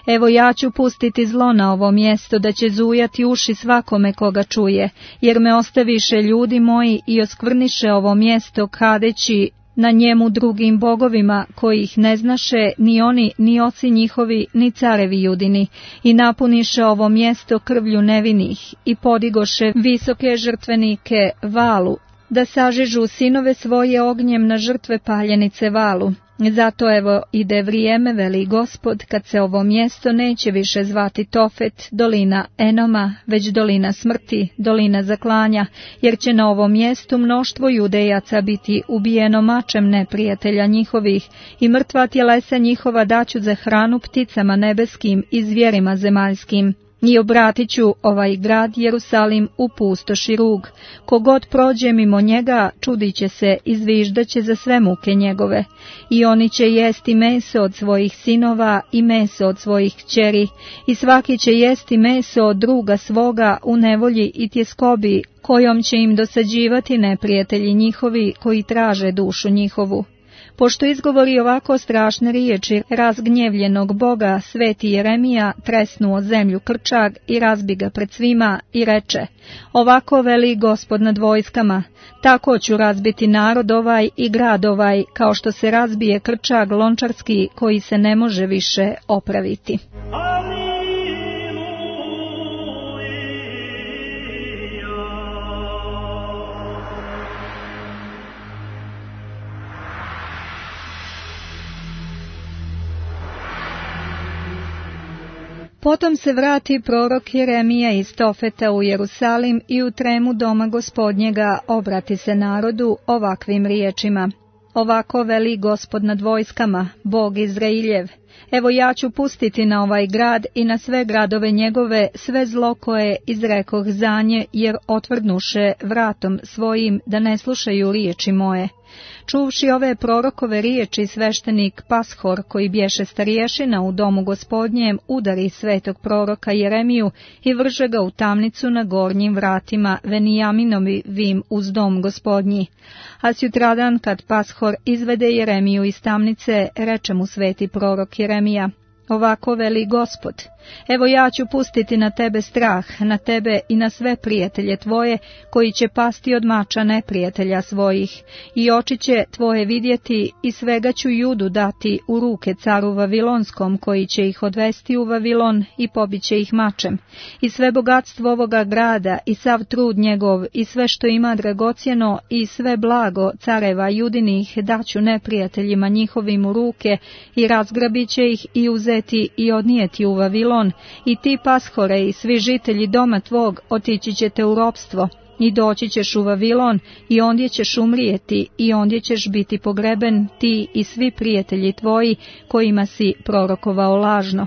Evo ja ću pustiti zlo na ovo mjesto, da će zujati uši svakome koga čuje, jer me ostaviše ljudi moji i oskvrniše ovo mjesto kadeći na njemu drugim bogovima, koji ih ne znaše ni oni, ni oci njihovi, ni carevi Judini, i napuniše ovo mjesto krvlju nevinih, i podigoše visoke žrtvenike Valu, da sažežu sinove svoje ognjem na žrtve paljenice Valu. Zato evo ide vrijeme, veli Gospod, kad se ovo mjesto neće više zvati Tofet, dolina Enoma, već dolina smrti, dolina zaklanja, jer će na ovom mjestu mnoštvo Judejaca biti ubijeno mačem neprijatelja njihovih, i mrtva tjelesa njihova daću za hranu pticama nebeskim i zvijerima zemaljskim. I obratit ću ovaj grad Jerusalim u pustoš i rug. Kogod prođe mimo njega, čudit će se i zviždaće za sve muke njegove. I oni će jesti meso od svojih sinova i meso od svojih kćeri, i svaki će jesti meso od druga svoga u nevolji i tjeskobi, kojom će im dosađivati neprijatelji njihovi koji traže dušu njihovu. Pošto izgovori ovako strašne riječi razgnjevljenog Boga, sveti Jeremija tresnuo zemlju krčag i razbi ga pred svima i reče: ovako veli Gospod nad vojskama, tako ću razbiti narod ovaj i grad ovaj, kao što se razbije krčag lončarski koji se ne može više opraviti. Potom se vrati prorok Jeremija iz Tofeta u Jerusalim i u tremu doma Gospodnjega obrati se narodu ovakvim riječima: ovako veli Gospod nad vojskama, Bog Izrailjev. Evo ja ću pustiti na ovaj grad i na sve gradove njegove sve zlo koje izrekoh za nje, jer otvrdnuše vratom svojim da ne slušaju riječi moje. Čuvši ove prorokove riječi, sveštenik Pashor, koji bješe starješina u domu Gospodnjem, udari svetog proroka Jeremiju i vrže ga u tamnicu na gornjim vratima Venijaminovim uz dom Gospodnji. A sutradan, kad Pashor izvede Jeremiju iz tamnice, reče mu sveti prorok Jeremija: Ovako veli Gospod, evo ja ću pustiti na tebe strah, na tebe i na sve prijatelje tvoje, koji će pasti od mača neprijatelja svojih, i oči će tvoje vidjeti, i svega ću Judu dati u ruke caru Vavilonskom, koji će ih odvesti u Vavilon i pobiće ih mačem, i sve bogatstvo ovoga grada, i sav trud njegov, i sve što ima dragocjeno, i sve blago careva Judinih daću neprijateljima njihovim u ruke, i razgrabit će ih i uzeti i odnijeti u Vavilon, i ti pashore i svi žitelji doma tvog otići ćete u ropstvo, i doći ćeš u Vavilon, i ondje ćeš umrijeti, i ondje ćeš biti pogreben, ti i svi prijatelji tvoji, kojima si prorokovao lažno.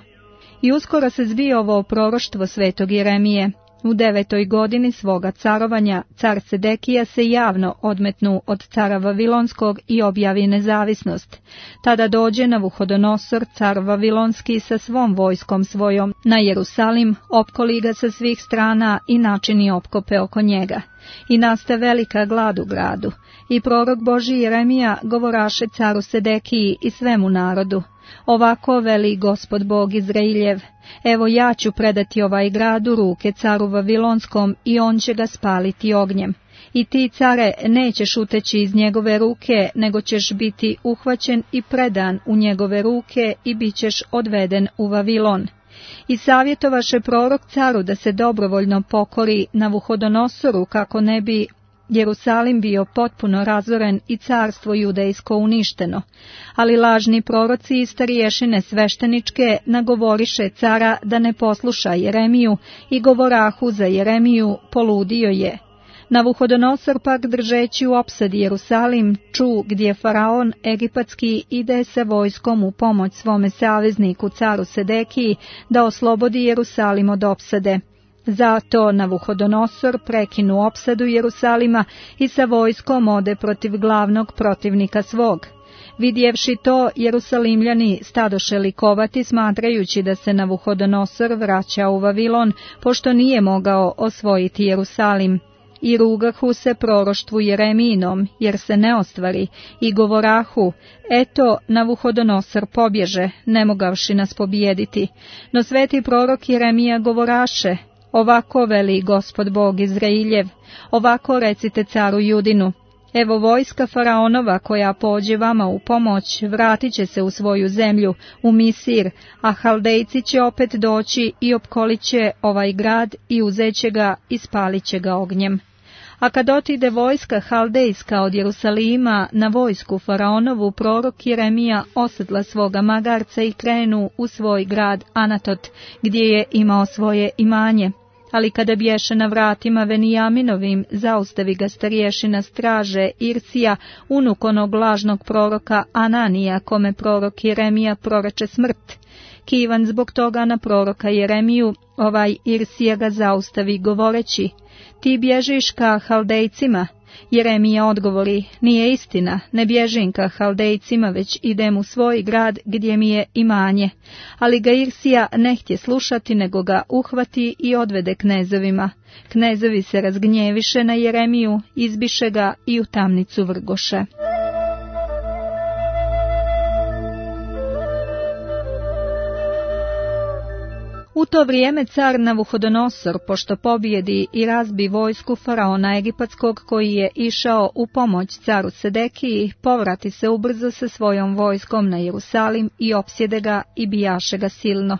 I uskoro se zbio ovo proroštvo svetog Jeremije. U 9. godini svoga carovanja, car Sedekija se javno odmetnu od cara Vavilonskog i objavi nezavisnost. Tada dođe Navuhodonosor, car Vavilonski, sa svom vojskom svojom na Jerusalim, opkoli ga sa svih strana i načini opkope oko njega. I naste velika glad u gradu. I prorok Božji Jeremija govoraše caru Sedekiji i svemu narodu. Ovako veli Gospod Bog Izrailjev, evo ja ću predati ovaj grad u ruke caru Vavilonskom i on će ga spaliti ognjem. I ti, care, nećeš uteći iz njegove ruke, nego ćeš biti uhvaćen i predan u njegove ruke i bit ćeš odveden u Vavilon. I savjetovaše prorok caru da se dobrovoljno pokori Navuhodonosoru, kako ne bi Jerusalim bio potpuno razoren i carstvo judejsko uništeno, ali lažni proroci i starješine svešteničke nagovoriše cara da ne posluša Jeremiju i govorahu za Jeremiju, poludio je. Navuhodonosor pak, držeći u opsadi Jerusalim, ču gdje faraon egipatski ide sa vojskom u pomoć svome savezniku caru Sedekiji da oslobodi Jerusalim od opsade. Zato Navuhodonosor prekinu opsadu Jerusalima i sa vojskom ode protiv glavnog protivnika svog. Vidjevši to, Jerusalimljani stadoše likovati, smatrajući da se Navuhodonosor vraća u Vavilon, pošto nije mogao osvojiti Jerusalim. I rugahu se proroštvu Jeremijinom, jer se ne ostvari, i govorahu, eto, Navuhodonosor pobježe, ne mogavši nas pobijediti. No sveti prorok Jeremija govoraše, ovako veli Gospod Bog Izrailjev, ovako recite caru Judinu, evo vojska faraonova koja pođe vama u pomoć, vratit će se u svoju zemlju, u Misir, a Haldejci će opet doći i opkolit će ovaj grad i uzet će ga i spalit će ga ognjem. A kad otide vojska Haldejska od Jerusalima na vojsku faraonovu, prorok Jeremija osedla svoga magarca i krenu u svoj grad Anatot, gdje je imao svoje imanje. Ali kada bješe na vratima Venijaminovim, zaustavi ga starješina straže Irsija, unuk onog lažnog proroka Ananija, kome prorok Jeremija proreče smrt. Kivan zbog toga na proroka Jeremiju, ovaj Irsija ga zaustavi govoreći, ti bježiš ka Haldejcima. Jeremija odgovori, nije istina, ne bježim ka Haldejcima, već idem u svoj grad gdje mi je imanje. Ali ga Irsija ne htje slušati, nego ga uhvati i odvede knezovima. Knezovi se razgnjeviše na Jeremiju, izbiše ga i u tamnicu vrgoše. U to vrijeme car Navuhodonosor, pošto pobjedi i razbi vojsku faraona egipatskog koji je išao u pomoć caru Sedekiji, povrati se ubrzo sa svojom vojskom na Jerusalim i opsjede ga i bijaše ga silno.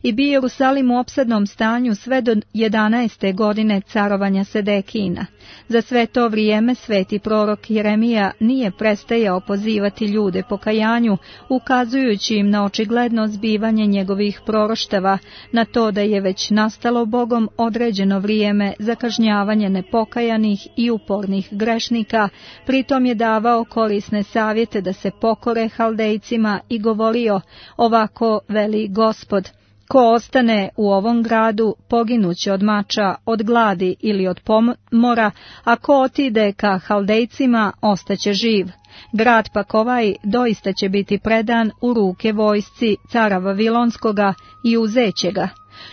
I bi Jerusalim u opsadnom stanju sve do 11. godine carovanja Sedekijina. Za sve to vrijeme sveti prorok Jeremija nije prestajao pozivati ljude pokajanju, ukazujući im na očigledno zbivanje njegovih proroštava, na to da je već nastalo Bogom određeno vrijeme za kažnjavanje nepokajanih i upornih grešnika, pritom je davao korisne savjete da se pokore Haldejcima i govorio, ovako veli Gospod, ko ostane u ovom gradu poginuće od mača, od gladi ili od pomora, a ko otide ka Haldejcima ostaće živ. Grad pak ovaj doista će biti predan u ruke vojsci cara Vavilonskoga i uzeće ga.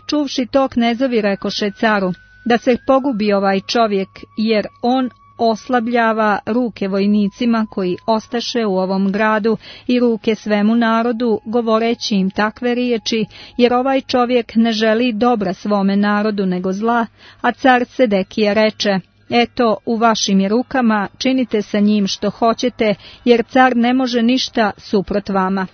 Čuvši to, knezovi rekoše caru, da se pogubi ovaj čovjek, jer on oslabljava ruke vojnicima koji ostaše u ovom gradu i ruke svemu narodu, govoreći im takve riječi, jer ovaj čovjek ne želi dobra svome narodu nego zla, a car Sedekija reče: eto, u vašim je rukama, činite sa njim što hoćete, jer car ne može ništa suprot vama.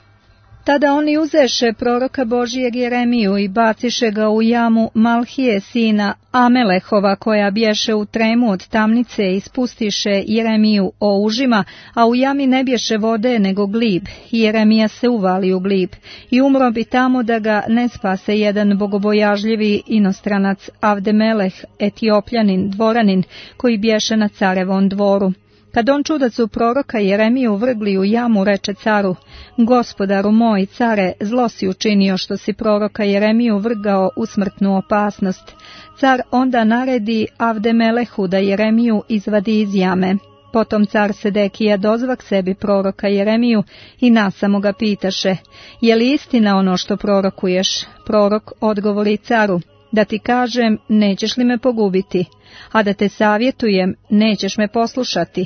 Tada oni uzeše proroka Božijeg Jeremiju i baciše ga u jamu Malhije sina Amelehova, koja bješe u tremu od tamnice, i spustiše Jeremiju o užima, a u jami ne bješe vode nego glib. I Jeremija se uvali u glib i umro bi tamo da ga ne spase jedan bogobojažljivi inostranac, Avdemeleh, Etiopljanin, dvoranin, koji bješe na carevom dvoru. Kad on čudacu proroka Jeremiju vrgli u jamu, reče caru: Gospodaru moj, care, zlo si učinio što si proroka Jeremiju vrgao u smrtnu opasnost. Car onda naredi Avdemelehu da Jeremiju izvadi iz jame. Potom car Sedekija dozvak sebi proroka Jeremiju i nasamo ga pitaše: je li istina ono što prorokuješ? Prorok odgovori caru: da ti kažem, nećeš li me pogubiti, a da te savjetujem, nećeš me poslušati.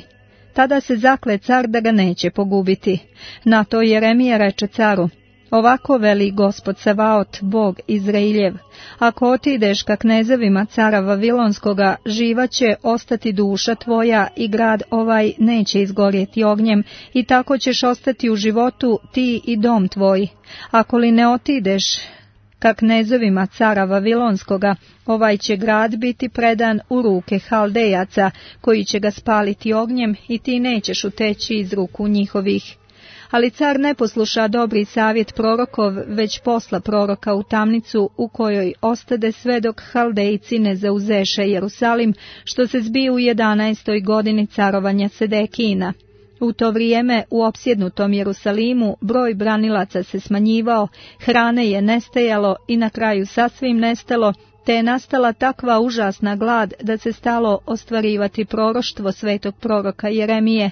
Tada se zakle car da ga neće pogubiti. Na to Jeremija reče caru: ovako veli Gospod Savaot, Bog Izrailjev, ako otideš ka knezevima cara Vavilonskoga, živa će ostati duša tvoja i grad ovaj neće izgorjeti ognjem, i tako ćeš ostati u životu ti i dom tvoj. Ako li ne otideš ka knezovima cara Vavilonskoga, ovaj će grad biti predan u ruke Haldejaca, koji će ga spaliti ognjem, i ti nećeš uteći iz ruku njihovih. Ali car ne posluša dobri savjet prorokov, već posla proroka u tamnicu, u kojoj ostade sve dok Haldejci ne zauzeše Jerusalim, što se zbi u 11. godini carovanja Sedekijina. U to vrijeme u opsjednutom Jerusalimu broj branilaca se smanjivao, hrane je nestajalo i na kraju sasvim nestalo, te je nastala takva užasna glad da se stalo ostvarivati proroštvo svetog proroka Jeremije.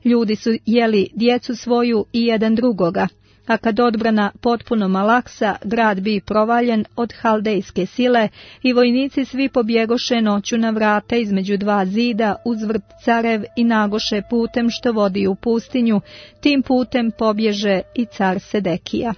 Ljudi su jeli djecu svoju i jedan drugoga, a kad odbrana potpuno malaksa, grad bi provaljen od haldejske sile i vojnici svi pobjegoše noću na vrata između dva zida uz vrt carev i nagoše putem što vodi u pustinju, tim putem pobježe i car Sedekija.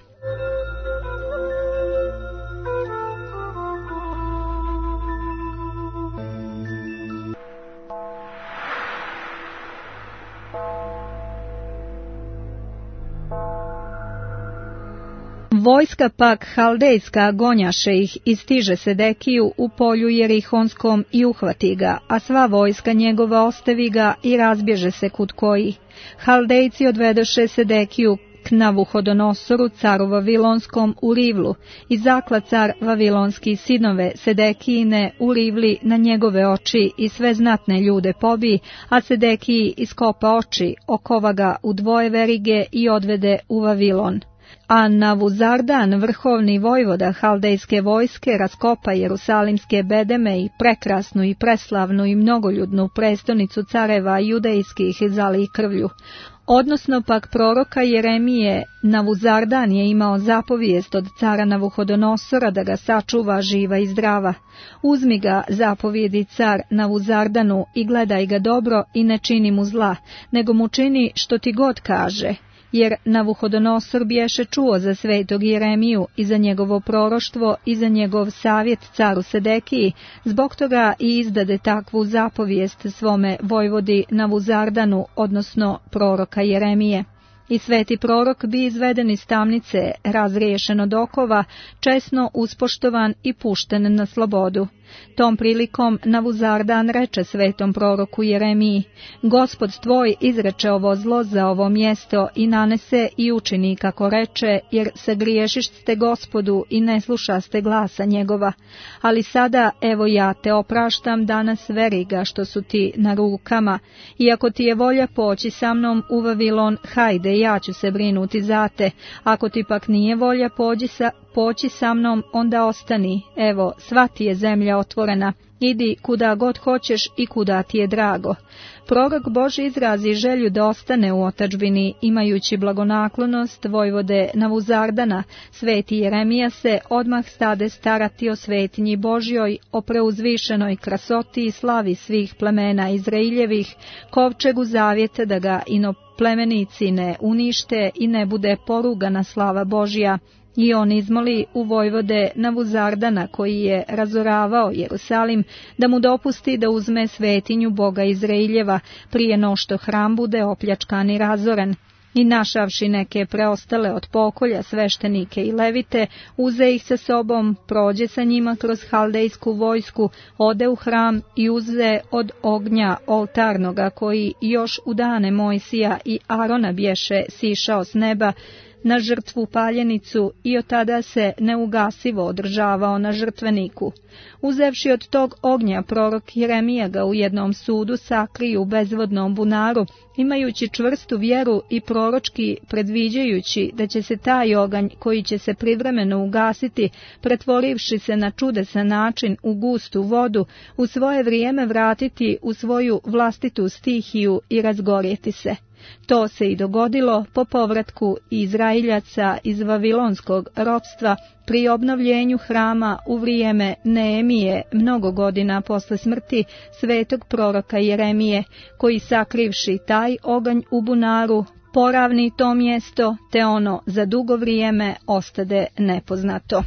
Vojska pak haldejska gonjaše ih i stiže Sedekiju u polju Jerihonskom i uhvati ga, a sva vojska njegova ostavi ga i razbježe se kud koji. Haldejci odvedoše Sedekiju k Navuhodonosoru, caru Vavilonskom, u Rivlu, i zakla car Vavilonski sinove Sedekijine u Rivli na njegove oči i sve znatne ljude pobi, a Sedekiji iskopa oči, okova ga u dvoje verige i odvede u Vavilon. A Navuzardan, vrhovni vojvoda haldejske vojske, raskopa jerusalimske bedeme i prekrasnu i preslavnu i mnogoljudnu prestonicu careva judejskih zali krvlju. Odnosno pak proroka Jeremije, Navuzardan je imao zapovijest od cara Navuhodonosora da ga sačuva živa i zdrava. Uzmi ga, zapovijedi car Navuzardanu, i gledaj ga dobro i ne čini mu zla, nego mu čini što ti god kaže. Jer Navuhodonosor bješe čuo za svetog Jeremiju i za njegovo proroštvo i za njegov savjet caru Sedekiji, zbog toga i izdade takvu zapovijest svome vojvodi Navuzardanu, odnosno proroka Jeremije. I sveti prorok bi izveden iz tamnice, razriješen od okova, česno uspoštovan i pušten na slobodu. Tom prilikom Navuzardan reče svetom proroku Jeremiji: Gospod tvoj izreče ovo zlo za ovo mjesto i nanese i učini kako reče, jer se griješište Gospodu i ne slušaste glasa njegova. Ali sada, evo ja te opraštam danas veriga što su ti na rukama, i ako ti je volja poći sa mnom u Vavilon, hajde, ja ću se brinuti za te, ako ti pak nije volja, poći sa mnom, onda ostani, evo, sva ti je zemlja otvorena, idi kuda god hoćeš i kuda ti je drago. Prorok Božji izrazi želju da ostane u otadžbini, imajući blagonaklonost vojvode Navuzardana. Sveti Jeremija se odmah stade starati o svetinji Božjoj, o preuzvišenoj krasoti i slavi svih plemena Izraeljevih, kovčegu zavjeta da ga inoplemenici ne unište i ne bude porugana slava Božja. I on izmoli u vojvode Navuzardana, koji je razoravao Jerusalim, da mu dopusti da uzme svetinju Boga Izraeljeva, prije no što hram bude opljačkan i razoren. I našavši neke preostale od pokolja sveštenike i levite, uze ih sa sobom, prođe sa njima kroz haldejsku vojsku, ode u hram i uze od ognja oltarnoga, koji još u dane Mojsija i Arona bješe sišao s neba, na žrtvu paljenicu i od tada se neugasivo održavao na žrtveniku. Uzevši od tog ognja, prorok Jeremija ga u jednom sudu sakri u bezvodnom bunaru, imajući čvrstu vjeru i proročki predviđajući da će se taj oganj, koji će se privremeno ugasiti, pretvorivši se na čudesan način u gustu vodu, u svoje vrijeme vratiti u svoju vlastitu stihiju i razgorjeti se. To se i dogodilo po povratku Izraeljaca iz vavilonskog ropstva pri obnovljenju hrama u vrijeme Neemije, mnogo godina posle smrti svetog proroka Jeremije, koji sakrivši taj oganj u bunaru, poravni to mjesto, te ono za dugo vrijeme ostade nepoznato.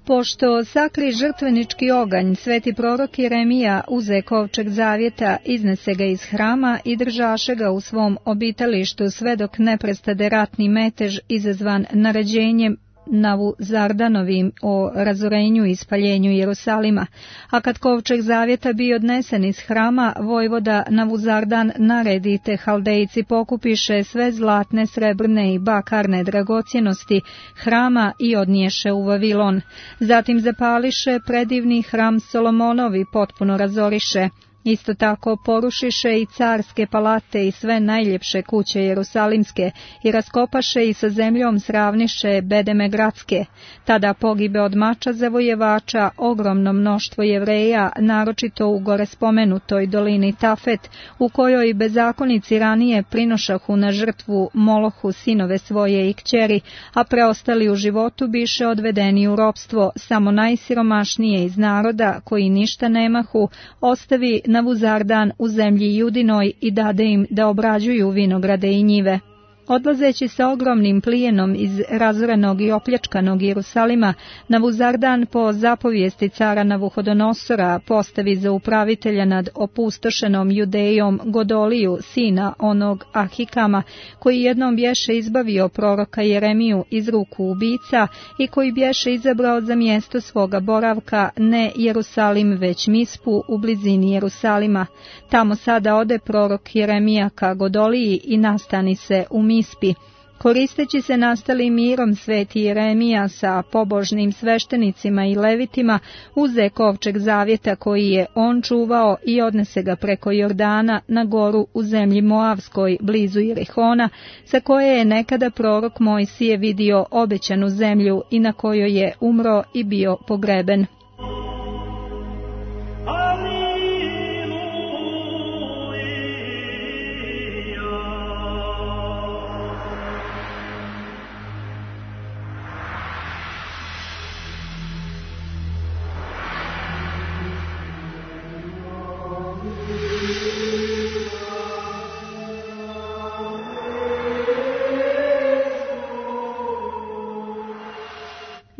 Pošto sakri žrtvenički oganj, sveti prorok Jeremija uze kovčeg zavjeta, iznese ga iz hrama i držaše ga u svom obitalištu sve dok ne prestade ratni metež izazvan naređenjem Navuzardanovim o razorenju i spaljenju Jerusalima. A kad kovčeg zavjeta bio odnesen iz hrama, vojvoda Navuzardan naredi te haldejci pokupiše sve zlatne, srebrne i bakarne dragocjenosti hrama i odniješe u Vavilon. Zatim zapališe predivni hram Solomonovi, potpuno razoriše. Isto tako porušiše i carske palate i sve najljepše kuće jerusalimske i raskopaše i sa zemljom sravniše bedeme gradske. Tada pogibe od mača zavojevača ogromno mnoštvo Jevreja, naročito u gore spomenutoj dolini Tafet, u kojoj bezakonici ranije prinošahu na žrtvu Molohu sinove svoje i kćeri, a preostali u životu biše odvedeni u ropstvo. Samo najsiromašnije iz naroda, koji ništa nemahu, ostavi Navuzardan u zemlji Judinoj i dade im da obrađuju vinograde i njive. Odlazeći sa ogromnim plijenom iz razorenog i opljačkanog Jerusalima, Navuzardan po zapovijesti cara Navuhodonosora postavi za upravitelja nad opustošenom Judejom Godoliju, sina onog Ahikama, koji jednom bješe izbavio proroka Jeremiju iz ruku ubica i koji bješe izabrao za mjesto svoga boravka ne Jerusalim već Mispu u blizini Jerusalima. Tamo sada ode prorok Jeremija ka Godoliji i nastani se u Mispi. Koristeći se nastalim mirom, sveti Jeremija sa pobožnim sveštenicima i levitima uze kovčeg zavjeta koji je on čuvao i odnese ga preko Jordana na goru u zemlji Moavskoj blizu Jerihona, sa koje je nekada prorok Mojsije vidio obećanu zemlju i na kojoj je umro i bio pogreben.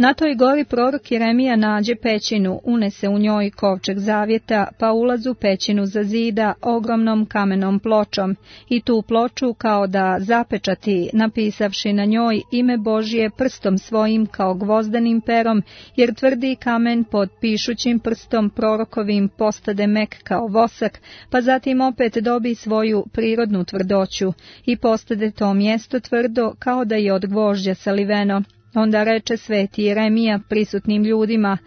Na toj gori prorok Jeremija nađe pećinu, unese u njoj kovčeg zavjeta, pa ulaz u pećinu zazida ogromnom kamenom pločom i tu ploču kao da zapečati, napisavši na njoj ime Božje prstom svojim kao gvozdenim perom, jer tvrdi kamen pod pišućim prstom prorokovim postade mek kao vosak, pa zatim opet dobi svoju prirodnu tvrdoću i postade to mjesto tvrdo kao da je od gvožđa saliveno. Onda reče sveti Jeremija prisutnim ljudima: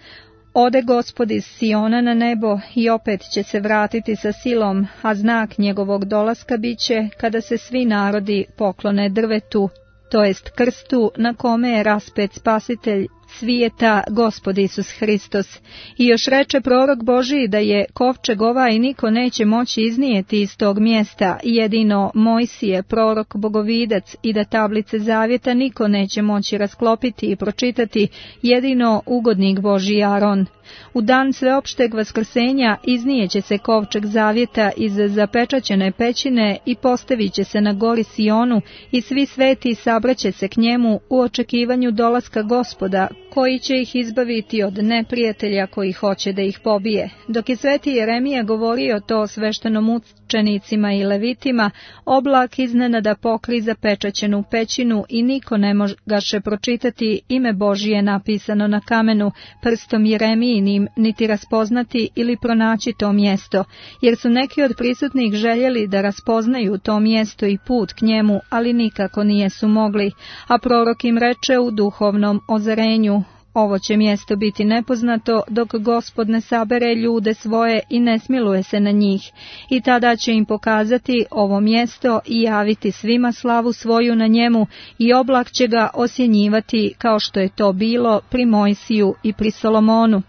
Ode Gospod iz Siona na nebo i opet će se vratiti sa silom, a znak njegovog dolaska biće kada se svi narodi poklone drvetu, to jest krstu na kome je raspet spasitelj svijeta, Gospod Isus Hristos. I još reče prorok Božiji da je kovčeg ovaj niko neće moći iznijeti iz tog mjesta, jedino Mojsije, prorok bogovidac, i da tablice zavjeta niko neće moći rasklopiti i pročitati, jedino ugodnik Božji Aron. U dan sveopšteg vaskrsenja iznijeće se kovčeg zavjeta iz zapečaćene pećine i postavit će se na gori Sionu i svi sveti sabraće se k njemu u očekivanju dolaska Gospoda, koji će ih izbaviti od neprijatelja koji hoće da ih pobije. Dok je sveti Jeremija govorio to sveštenomučenicima i levitima, oblak iznenada pokri zapečaćenu pećinu i niko ne mogaše pročitati ime Božije napisano na kamenu prstom Jeremijinim, niti raspoznati ili pronaći to mjesto, jer su neki od prisutnih željeli da raspoznaju to mjesto i put k njemu, ali nikako nijesu mogli, a prorok im reče u duhovnom ozarenju: Ovo će mjesto biti nepoznato dok Gospod ne sabere ljude svoje i ne smiluje se na njih, i tada će im pokazati ovo mjesto i javiti svima slavu svoju na njemu, i oblak će ga osjenjivati kao što je to bilo pri Mojsiju i pri Solomonu.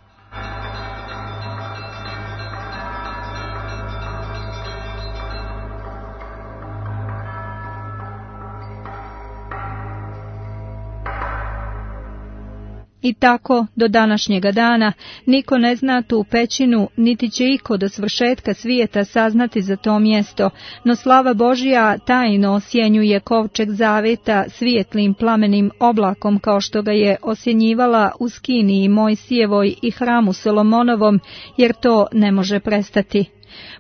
I tako, do današnjega dana, niko ne zna tu pećinu, niti će iko do svršetka svijeta saznati za to mjesto, no slava Božja tajno osjenjuje kovčeg zavjeta svijetlim plamenim oblakom, kao što ga je osjenjivala u Skiniji Mojsijevoj i hramu Solomonovom, jer to ne može prestati.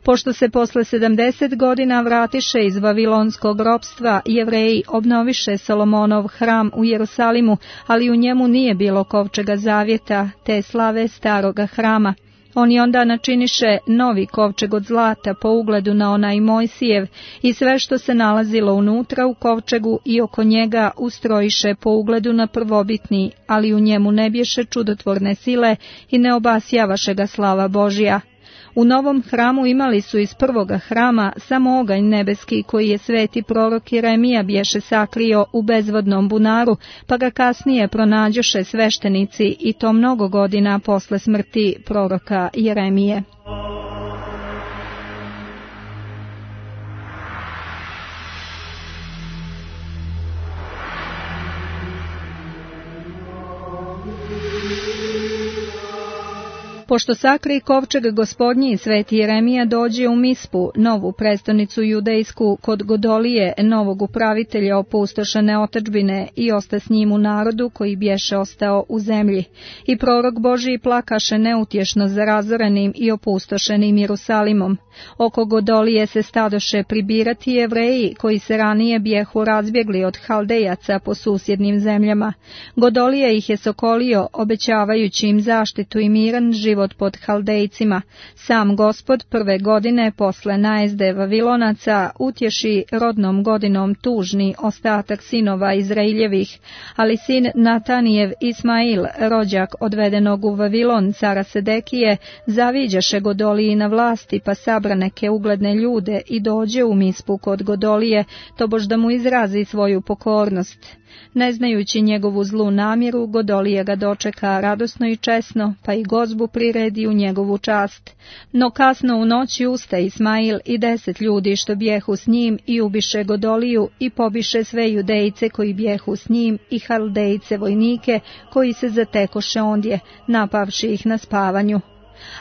Pošto se posle 70 godina vratiše iz vavilonskog ropstva, Jevreji obnoviše Solomonov hram u Jerusalimu, ali u njemu nije bilo kovčega zavjeta, te slave staroga hrama. Oni onda načiniše novi kovčeg od zlata po ugledu na onaj Mojsijev i sve što se nalazilo unutra u kovčegu i oko njega ustrojiše po ugledu na prvobitni, ali u njemu ne bješe čudotvorne sile i ne obasjavaše ga slava Božja. U novom hramu imali su iz prvoga hrama samo oganj nebeski koji je sveti prorok Jeremija bješe sakrio u bezvodnom bunaru, pa ga kasnije pronađoše sveštenici i to mnogo godina posle smrti proroka Jeremije. Pošto sakri kovčeg Gospodnji, sveti Jeremija dođe u Mispu, novu prestonicu judejsku, kod Godolije, novog upravitelja opustošene otadžbine, i osta s njim u narodu koji bješe ostao u zemlji. I prorok Božiji plakaše neutješno za razorenim i opustošenim Jerusalimom. Oko Godolije se stadoše pribirati Jevreji koji se ranije bjehu razbjegli od Haldejaca po susjednim zemljama. Godolija ih je sokolio, obećavajući im zaštitu i miran život pod Haldejcima. Sam Gospod prve godine posle najezde Vavilonaca utješi rodnom godinom tužni ostatak sinova Izraeljevih, ali sin Natanijev Ismail, rođak odvedenog u Vavilon cara Sedekije, zaviđaše Godoliji na vlasti, pa sabra neke ugledne ljude i dođe u Mispu kod Godolije, tobož da mu izrazi svoju pokornost. Ne znajući njegovu zlu namjeru, Godolija ga dočeka radosno i česno, pa i gozbu priredi u njegovu čast. No kasno u noći usta Ismail i 10 ljudi što bjehu s njim i ubiše Godoliju i pobiše sve Judejce koji bjehu s njim i Haldejce vojnike koji se zatekoše ondje, napavši ih na spavanju.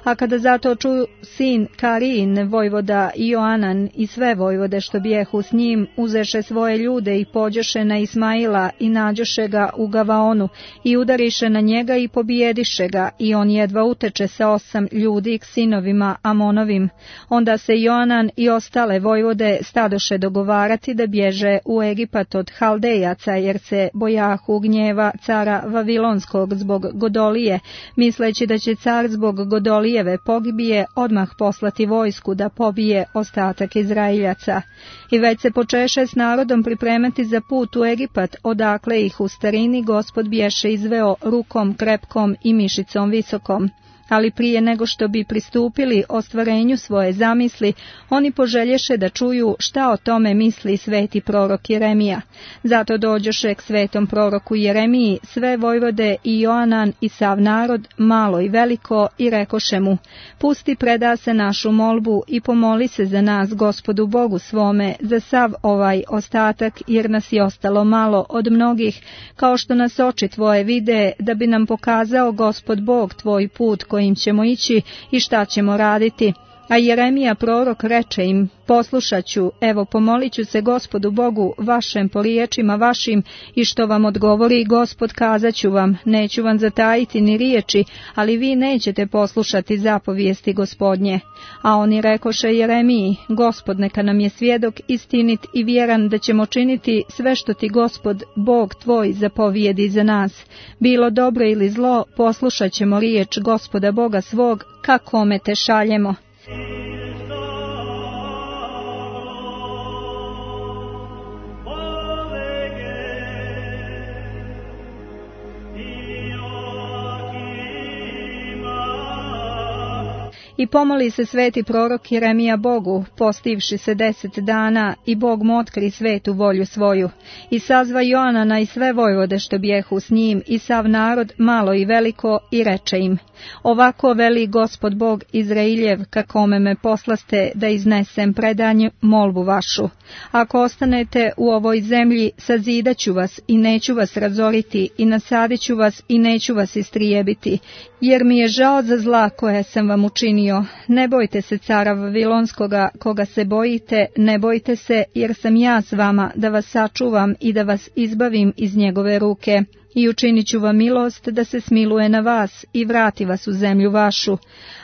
A kada zato čuju sin Karin, vojvoda Joanan i sve vojvode što bijehu s njim, uzeše svoje ljude i pođoše na Ismaila i nađoše ga u Gavaonu i udariše na njega i pobijediše ga, i on jedva uteče sa 8 ljudi k sinovima Amonovim. Onda se Joanan i ostale vojvode stadoše dogovarati da bježe u Egipat od Haldejaca, jer se bojahu gnjeva cara Vavilonskog zbog Godolije, misleći da će car zbog Godolijeve pogibije odmah poslati vojsku da pobije ostatak Izraeljaca. I već se počeše s narodom pripremati za put u Egipat, odakle ih u starini Gospod bješe izveo rukom krepkom i mišicom visokom. Ali prije nego što bi pristupili ostvarenju svoje zamisli, oni poželješe da čuju šta o tome misli sveti prorok Jeremija. Zato dođoše k svetom proroku Jeremiji sve vojvode i Joanan i sav narod, malo i veliko, i rekoše mu: pusti, preda se našu molbu i pomoli se za nas Gospodu Bogu svome, za sav ovaj ostatak, jer nas je ostalo malo od mnogih, kao što nas oči tvoje vide, da bi nam pokazao Gospod Bog tvoj put kojim ćemo ići i šta ćemo raditi. A Jeremija prorok reče im: poslušat ću, evo pomolit ću se Gospodu Bogu vašem po riječima vašim, i što vam odgovori Gospod kazat ću vam, neću vam zatajiti ni riječi, ali vi nećete poslušati zapovijesti Gospodnje. A oni rekoše Jeremiji: Gospod neka nam je svjedok istinit i vjeran da ćemo činiti sve što ti Gospod Bog tvoj zapovijedi za nas. Bilo dobro ili zlo, poslušat ćemo riječ Gospoda Boga svog, kakome te šaljemo. I pomoli se sveti prorok Jeremija Bogu, postivši se 10 dana, i Bog mu otkri svetu volju svoju. I sazva Joanana i sve vojvode što bijehu s njim, i sav narod, malo i veliko, i reče im: ovako veli Gospod Bog Izrailjev, kakome me poslaste da iznesem predanju molbu vašu. Ako ostanete u ovoj zemlji, sazidat ću vas i neću vas razoriti, i nasadit ću vas i neću vas istrijebiti, jer mi je žao za zla koje sam vam učinio. Ne bojte se cara Vavilonskoga, koga se bojite, ne bojte se, jer sam ja s vama da vas sačuvam i da vas izbavim iz njegove ruke. I učinit ću vam milost da se smiluje na vas i vrati vas u zemlju vašu.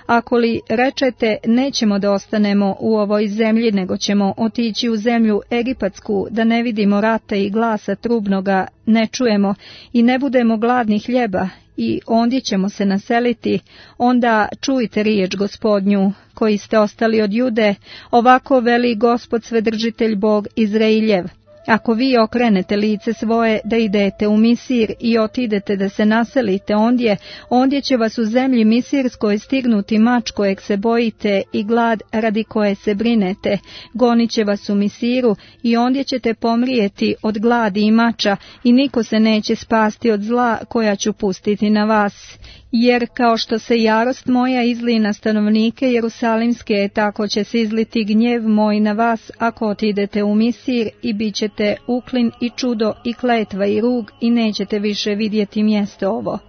Ako li rečete nećemo da ostanemo u ovoj zemlji, nego ćemo otići u zemlju Egipatsku, da ne vidimo rata i glasa trubnoga ne čujemo i ne budemo gladni hljeba, i ondje ćemo se naseliti, onda čujte riječ Gospodnju, koji ste ostali od Jude, ovako veli Gospod Svedržitelj Bog Izrailjev. Ako vi okrenete lice svoje da idete u Misir i otidete da se naselite ondje će vas u zemlji Misirskoj stignuti mač kojeg se bojite i glad radi koje se brinete. Gonit će vas u Misiru i ondje ćete pomrijeti od gladi i mača, i niko se neće spasti od zla koja ću pustiti na vas. Jer kao što se jarost moja izli na stanovnike Jerusalimske, tako će se izliti gnjev moj na vas ako otidete u Misir, i bit ćete uklin i čudo i kletva i rug, i nećete više vidjeti mjesto ovo.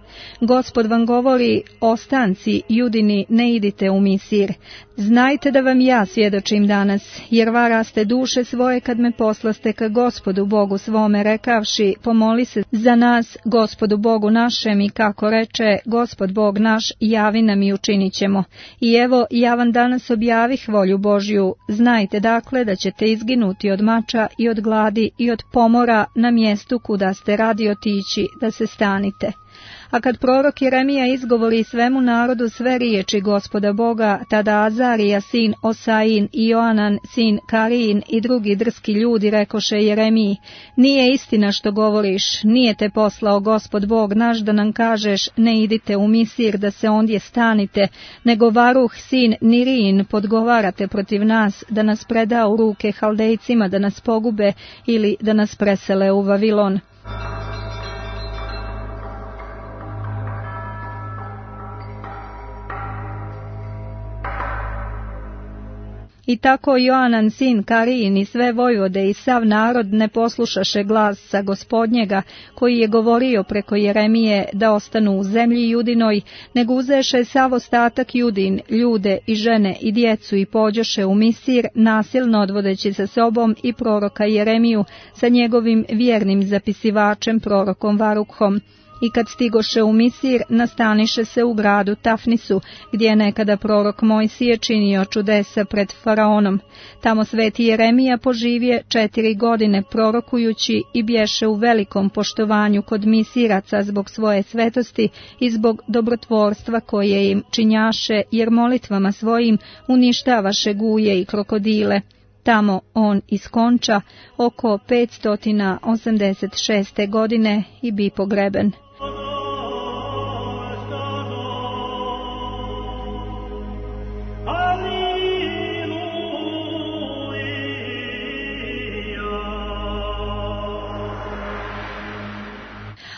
Gospod vam govori: ostanci Judini, ne idite u Misir. Znajte da vam ja svjedočim danas, jer varaste duše svoje kad me poslaste ka Gospodu Bogu svome, rekavši: pomoli se za nas Gospodu Bogu našem, i kako reče Gospod Bog naš, javi nam i učinit ćemo. I evo, ja vam danas objavih volju Božju. Znajte dakle da ćete izginuti od mača i od gladi i od pomora na mjestu kuda ste radi otići, da se stanite. A kad prorok Jeremija izgovori svemu narodu sve riječi Gospoda Boga, tada Azarija sin Osain i Joanan sin Karin i drugi drski ljudi rekoše Jeremiji: nije istina što govoriš, nije te poslao Gospod Bog naš da nam kažeš ne idite u Misir da se ondje stanite, nego Varuh sin Nirin podgovarate protiv nas da nas preda u ruke Haldejcima da nas pogube ili da nas presele u Vavilon. I tako Joanan sin Karijin i sve vojvode i sav narod ne poslušaše glasa Gospodnjega, koji je govorio preko Jeremije da ostanu u zemlji Judinoj, nego uzeše sav ostatak Judin, ljude i žene i djecu i pođoše u Misir, nasilno odvodeći sa sobom i proroka Jeremiju sa njegovim vjernim zapisivačem prorokom Varukhom. I kad stigoše u Misir, nastaniše se u gradu Tafnisu, gdje je nekada prorok Mojsije činio čudesa pred faraonom. Tamo sveti Jeremija poživje 4 godine prorokujući i bješe u velikom poštovanju kod Misiraca zbog svoje svetosti i zbog dobrotvorstva koje im činjaše, jer molitvama svojim uništavaše guje i krokodile. Tamo on iskonča oko 586. godine i bi pogreben.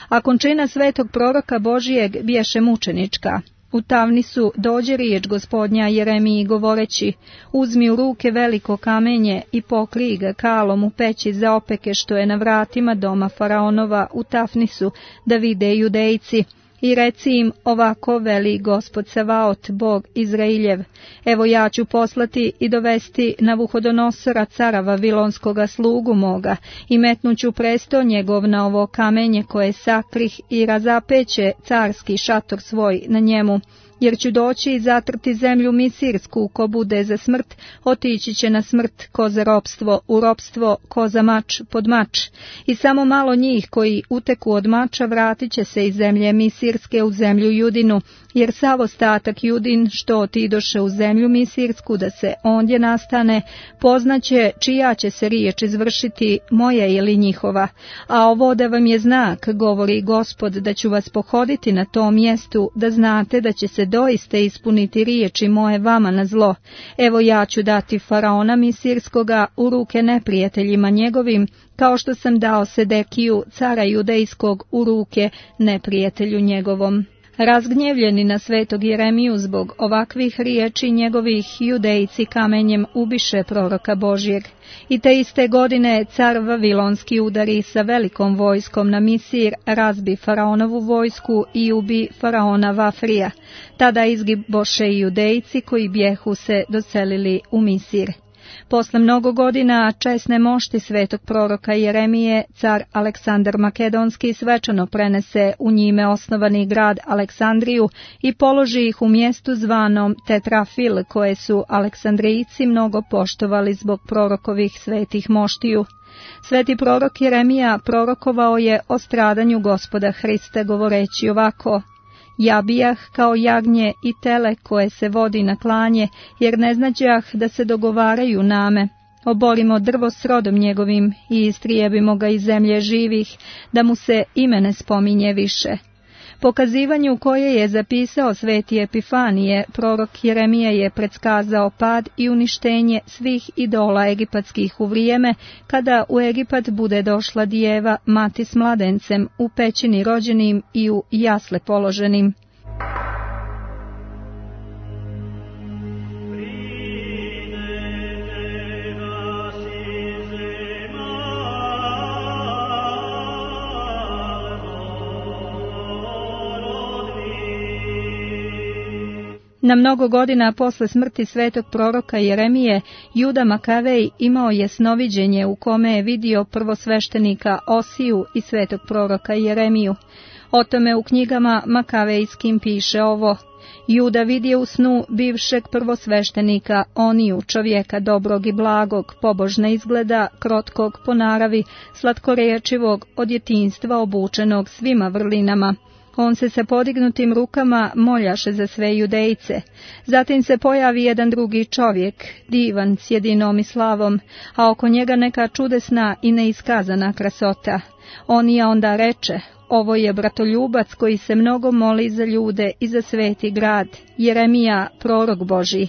A končina svetog proroka Božijeg bješe mučenička. U Tavnisu dođe riječ Gospodnja Jeremiji govoreći: uzmi u ruke veliko kamenje i pokrij ga kalom u peći za opeke što je na vratima doma faraonova u Tafnisu, da vide Judejci. I reci im, ovako veli Gospod Savaot, Bog Izrailjev: evo ja ću poslati i dovesti Navuhodonosora, cara Vavilonskoga, slugu moga, i metnuću presto njegov na ovo kamenje koje sakrih i razapeće carski šator svoj na njemu. Jer ću doći i zatrti zemlju Misirsku, ko bude za smrt, otići će na smrt, ko za ropstvo, u ropstvo, ko za mač, pod mač. I samo malo njih koji uteku od mača vratit će se iz zemlje Misirske u zemlju Judinu, jer sav ostatak Judin što otidoše u zemlju Misirsku da se ondje nastane, poznaće čija će se riječ izvršiti, moja ili njihova. A ovo da vam je znak, govori Gospod, da ću vas pohoditi na tom mjestu, da znate da će se doista ispuniti riječi moje vama na zlo. Evo ja ću dati faraona Misirskoga u ruke neprijateljima njegovim, kao što sam dao Sedekiju, cara Judejskog, u ruke neprijatelju njegovom. Razgnjevljeni na svetog Jeremiju zbog ovakvih riječi njegovih, Judejci kamenjem ubiše proroka Božjeg. I te iste godine car Vavilonski udari sa velikom vojskom na Misir, razbi faraonovu vojsku i ubi faraona Vafrija. Tada izgiboše i Judejci koji bjehu se doselili u Misir. Posle mnogo godina česne mošti svetog proroka Jeremije, car Aleksandar Makedonski svečano prenese u njime osnovani grad Aleksandriju i položi ih u mjestu zvanom Tetrafil, koje su Aleksandrijci mnogo poštovali zbog prorokovih svetih moštiju. Sveti prorok Jeremija prorokovao je o stradanju Gospoda Hrista govoreći ovako: ja bijah kao jagnje i tele koje se vodi na klanje, jer ne znađah da se dogovaraju name. Oborimo drvo s rodom njegovim i istrijebimo ga iz zemlje živih, da mu se ime ne spominje više. Pokazivanju koje je zapisao sveti Epifanije, prorok Jeremija je predskazao pad i uništenje svih idola egipatskih u vrijeme kada u Egipat bude došla djeva, mati s mladencem, u pećini rođenim i u jasle položenim. Na mnogo godina posle smrti svetog proroka Jeremije, Juda Makavej imao je snoviđenje u kome je vidio prvosveštenika Osiju i svetog proroka Jeremiju. O tome u knjigama Makavejskim piše ovo: Juda vidje u snu bivšeg prvosveštenika Oniju, čovjeka dobrog i blagog, pobožna izgleda, krotkog po naravi, slatkorečivog, od djetinjstva obučenog svima vrlinama. On se sa podignutim rukama moljaše za sve Judejce. Zatim se pojavi jedan drugi čovjek, divan, s jedinom i slavom, a oko njega neka čudesna i neiskazana krasota. Onija onda reče: ovo je bratoljubac koji se mnogo moli za ljude i za sveti grad, Jeremija, prorok Božji.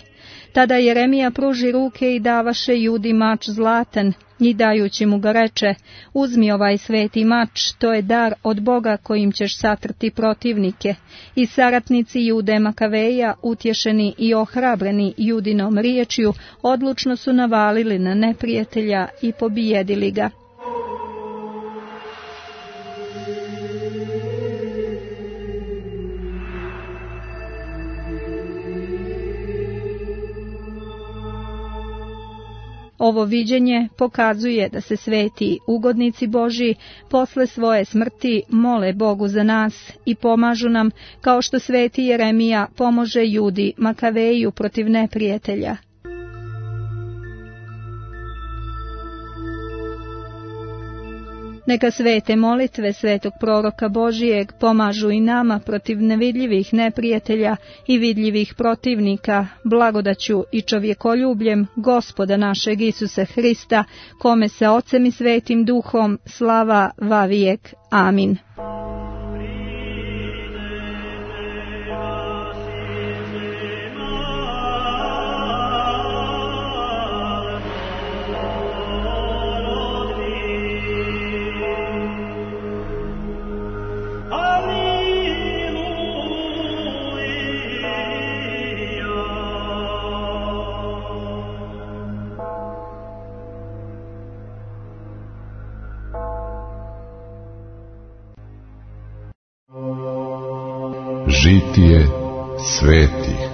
Tada Jeremija pruži ruke i davaše Judi mač zlatan, I dajući mu ga reče, uzmi ovaj sveti mač, to je dar od Boga kojim ćeš satrti protivnike. I saratnici Jude Makaveja, utješeni i ohrabreni Judinom riječju, odlučno su navalili na neprijatelja i pobijedili ga. Ovo viđenje pokazuje da se sveti ugodnici Božji posle svoje smrti mole Bogu za nas i pomažu nam, kao što sveti Jeremija pomože Judi Makaveju protiv neprijatelja. Neka svete molitve svetog proroka Božijeg pomažu i nama protiv nevidljivih neprijatelja i vidljivih protivnika, blagodaću i čovjekoljubljem Gospoda našeg Isusa Hrista, kome se Ocem i Svetim Duhom slava vavijek. Amin. Žitije svetih.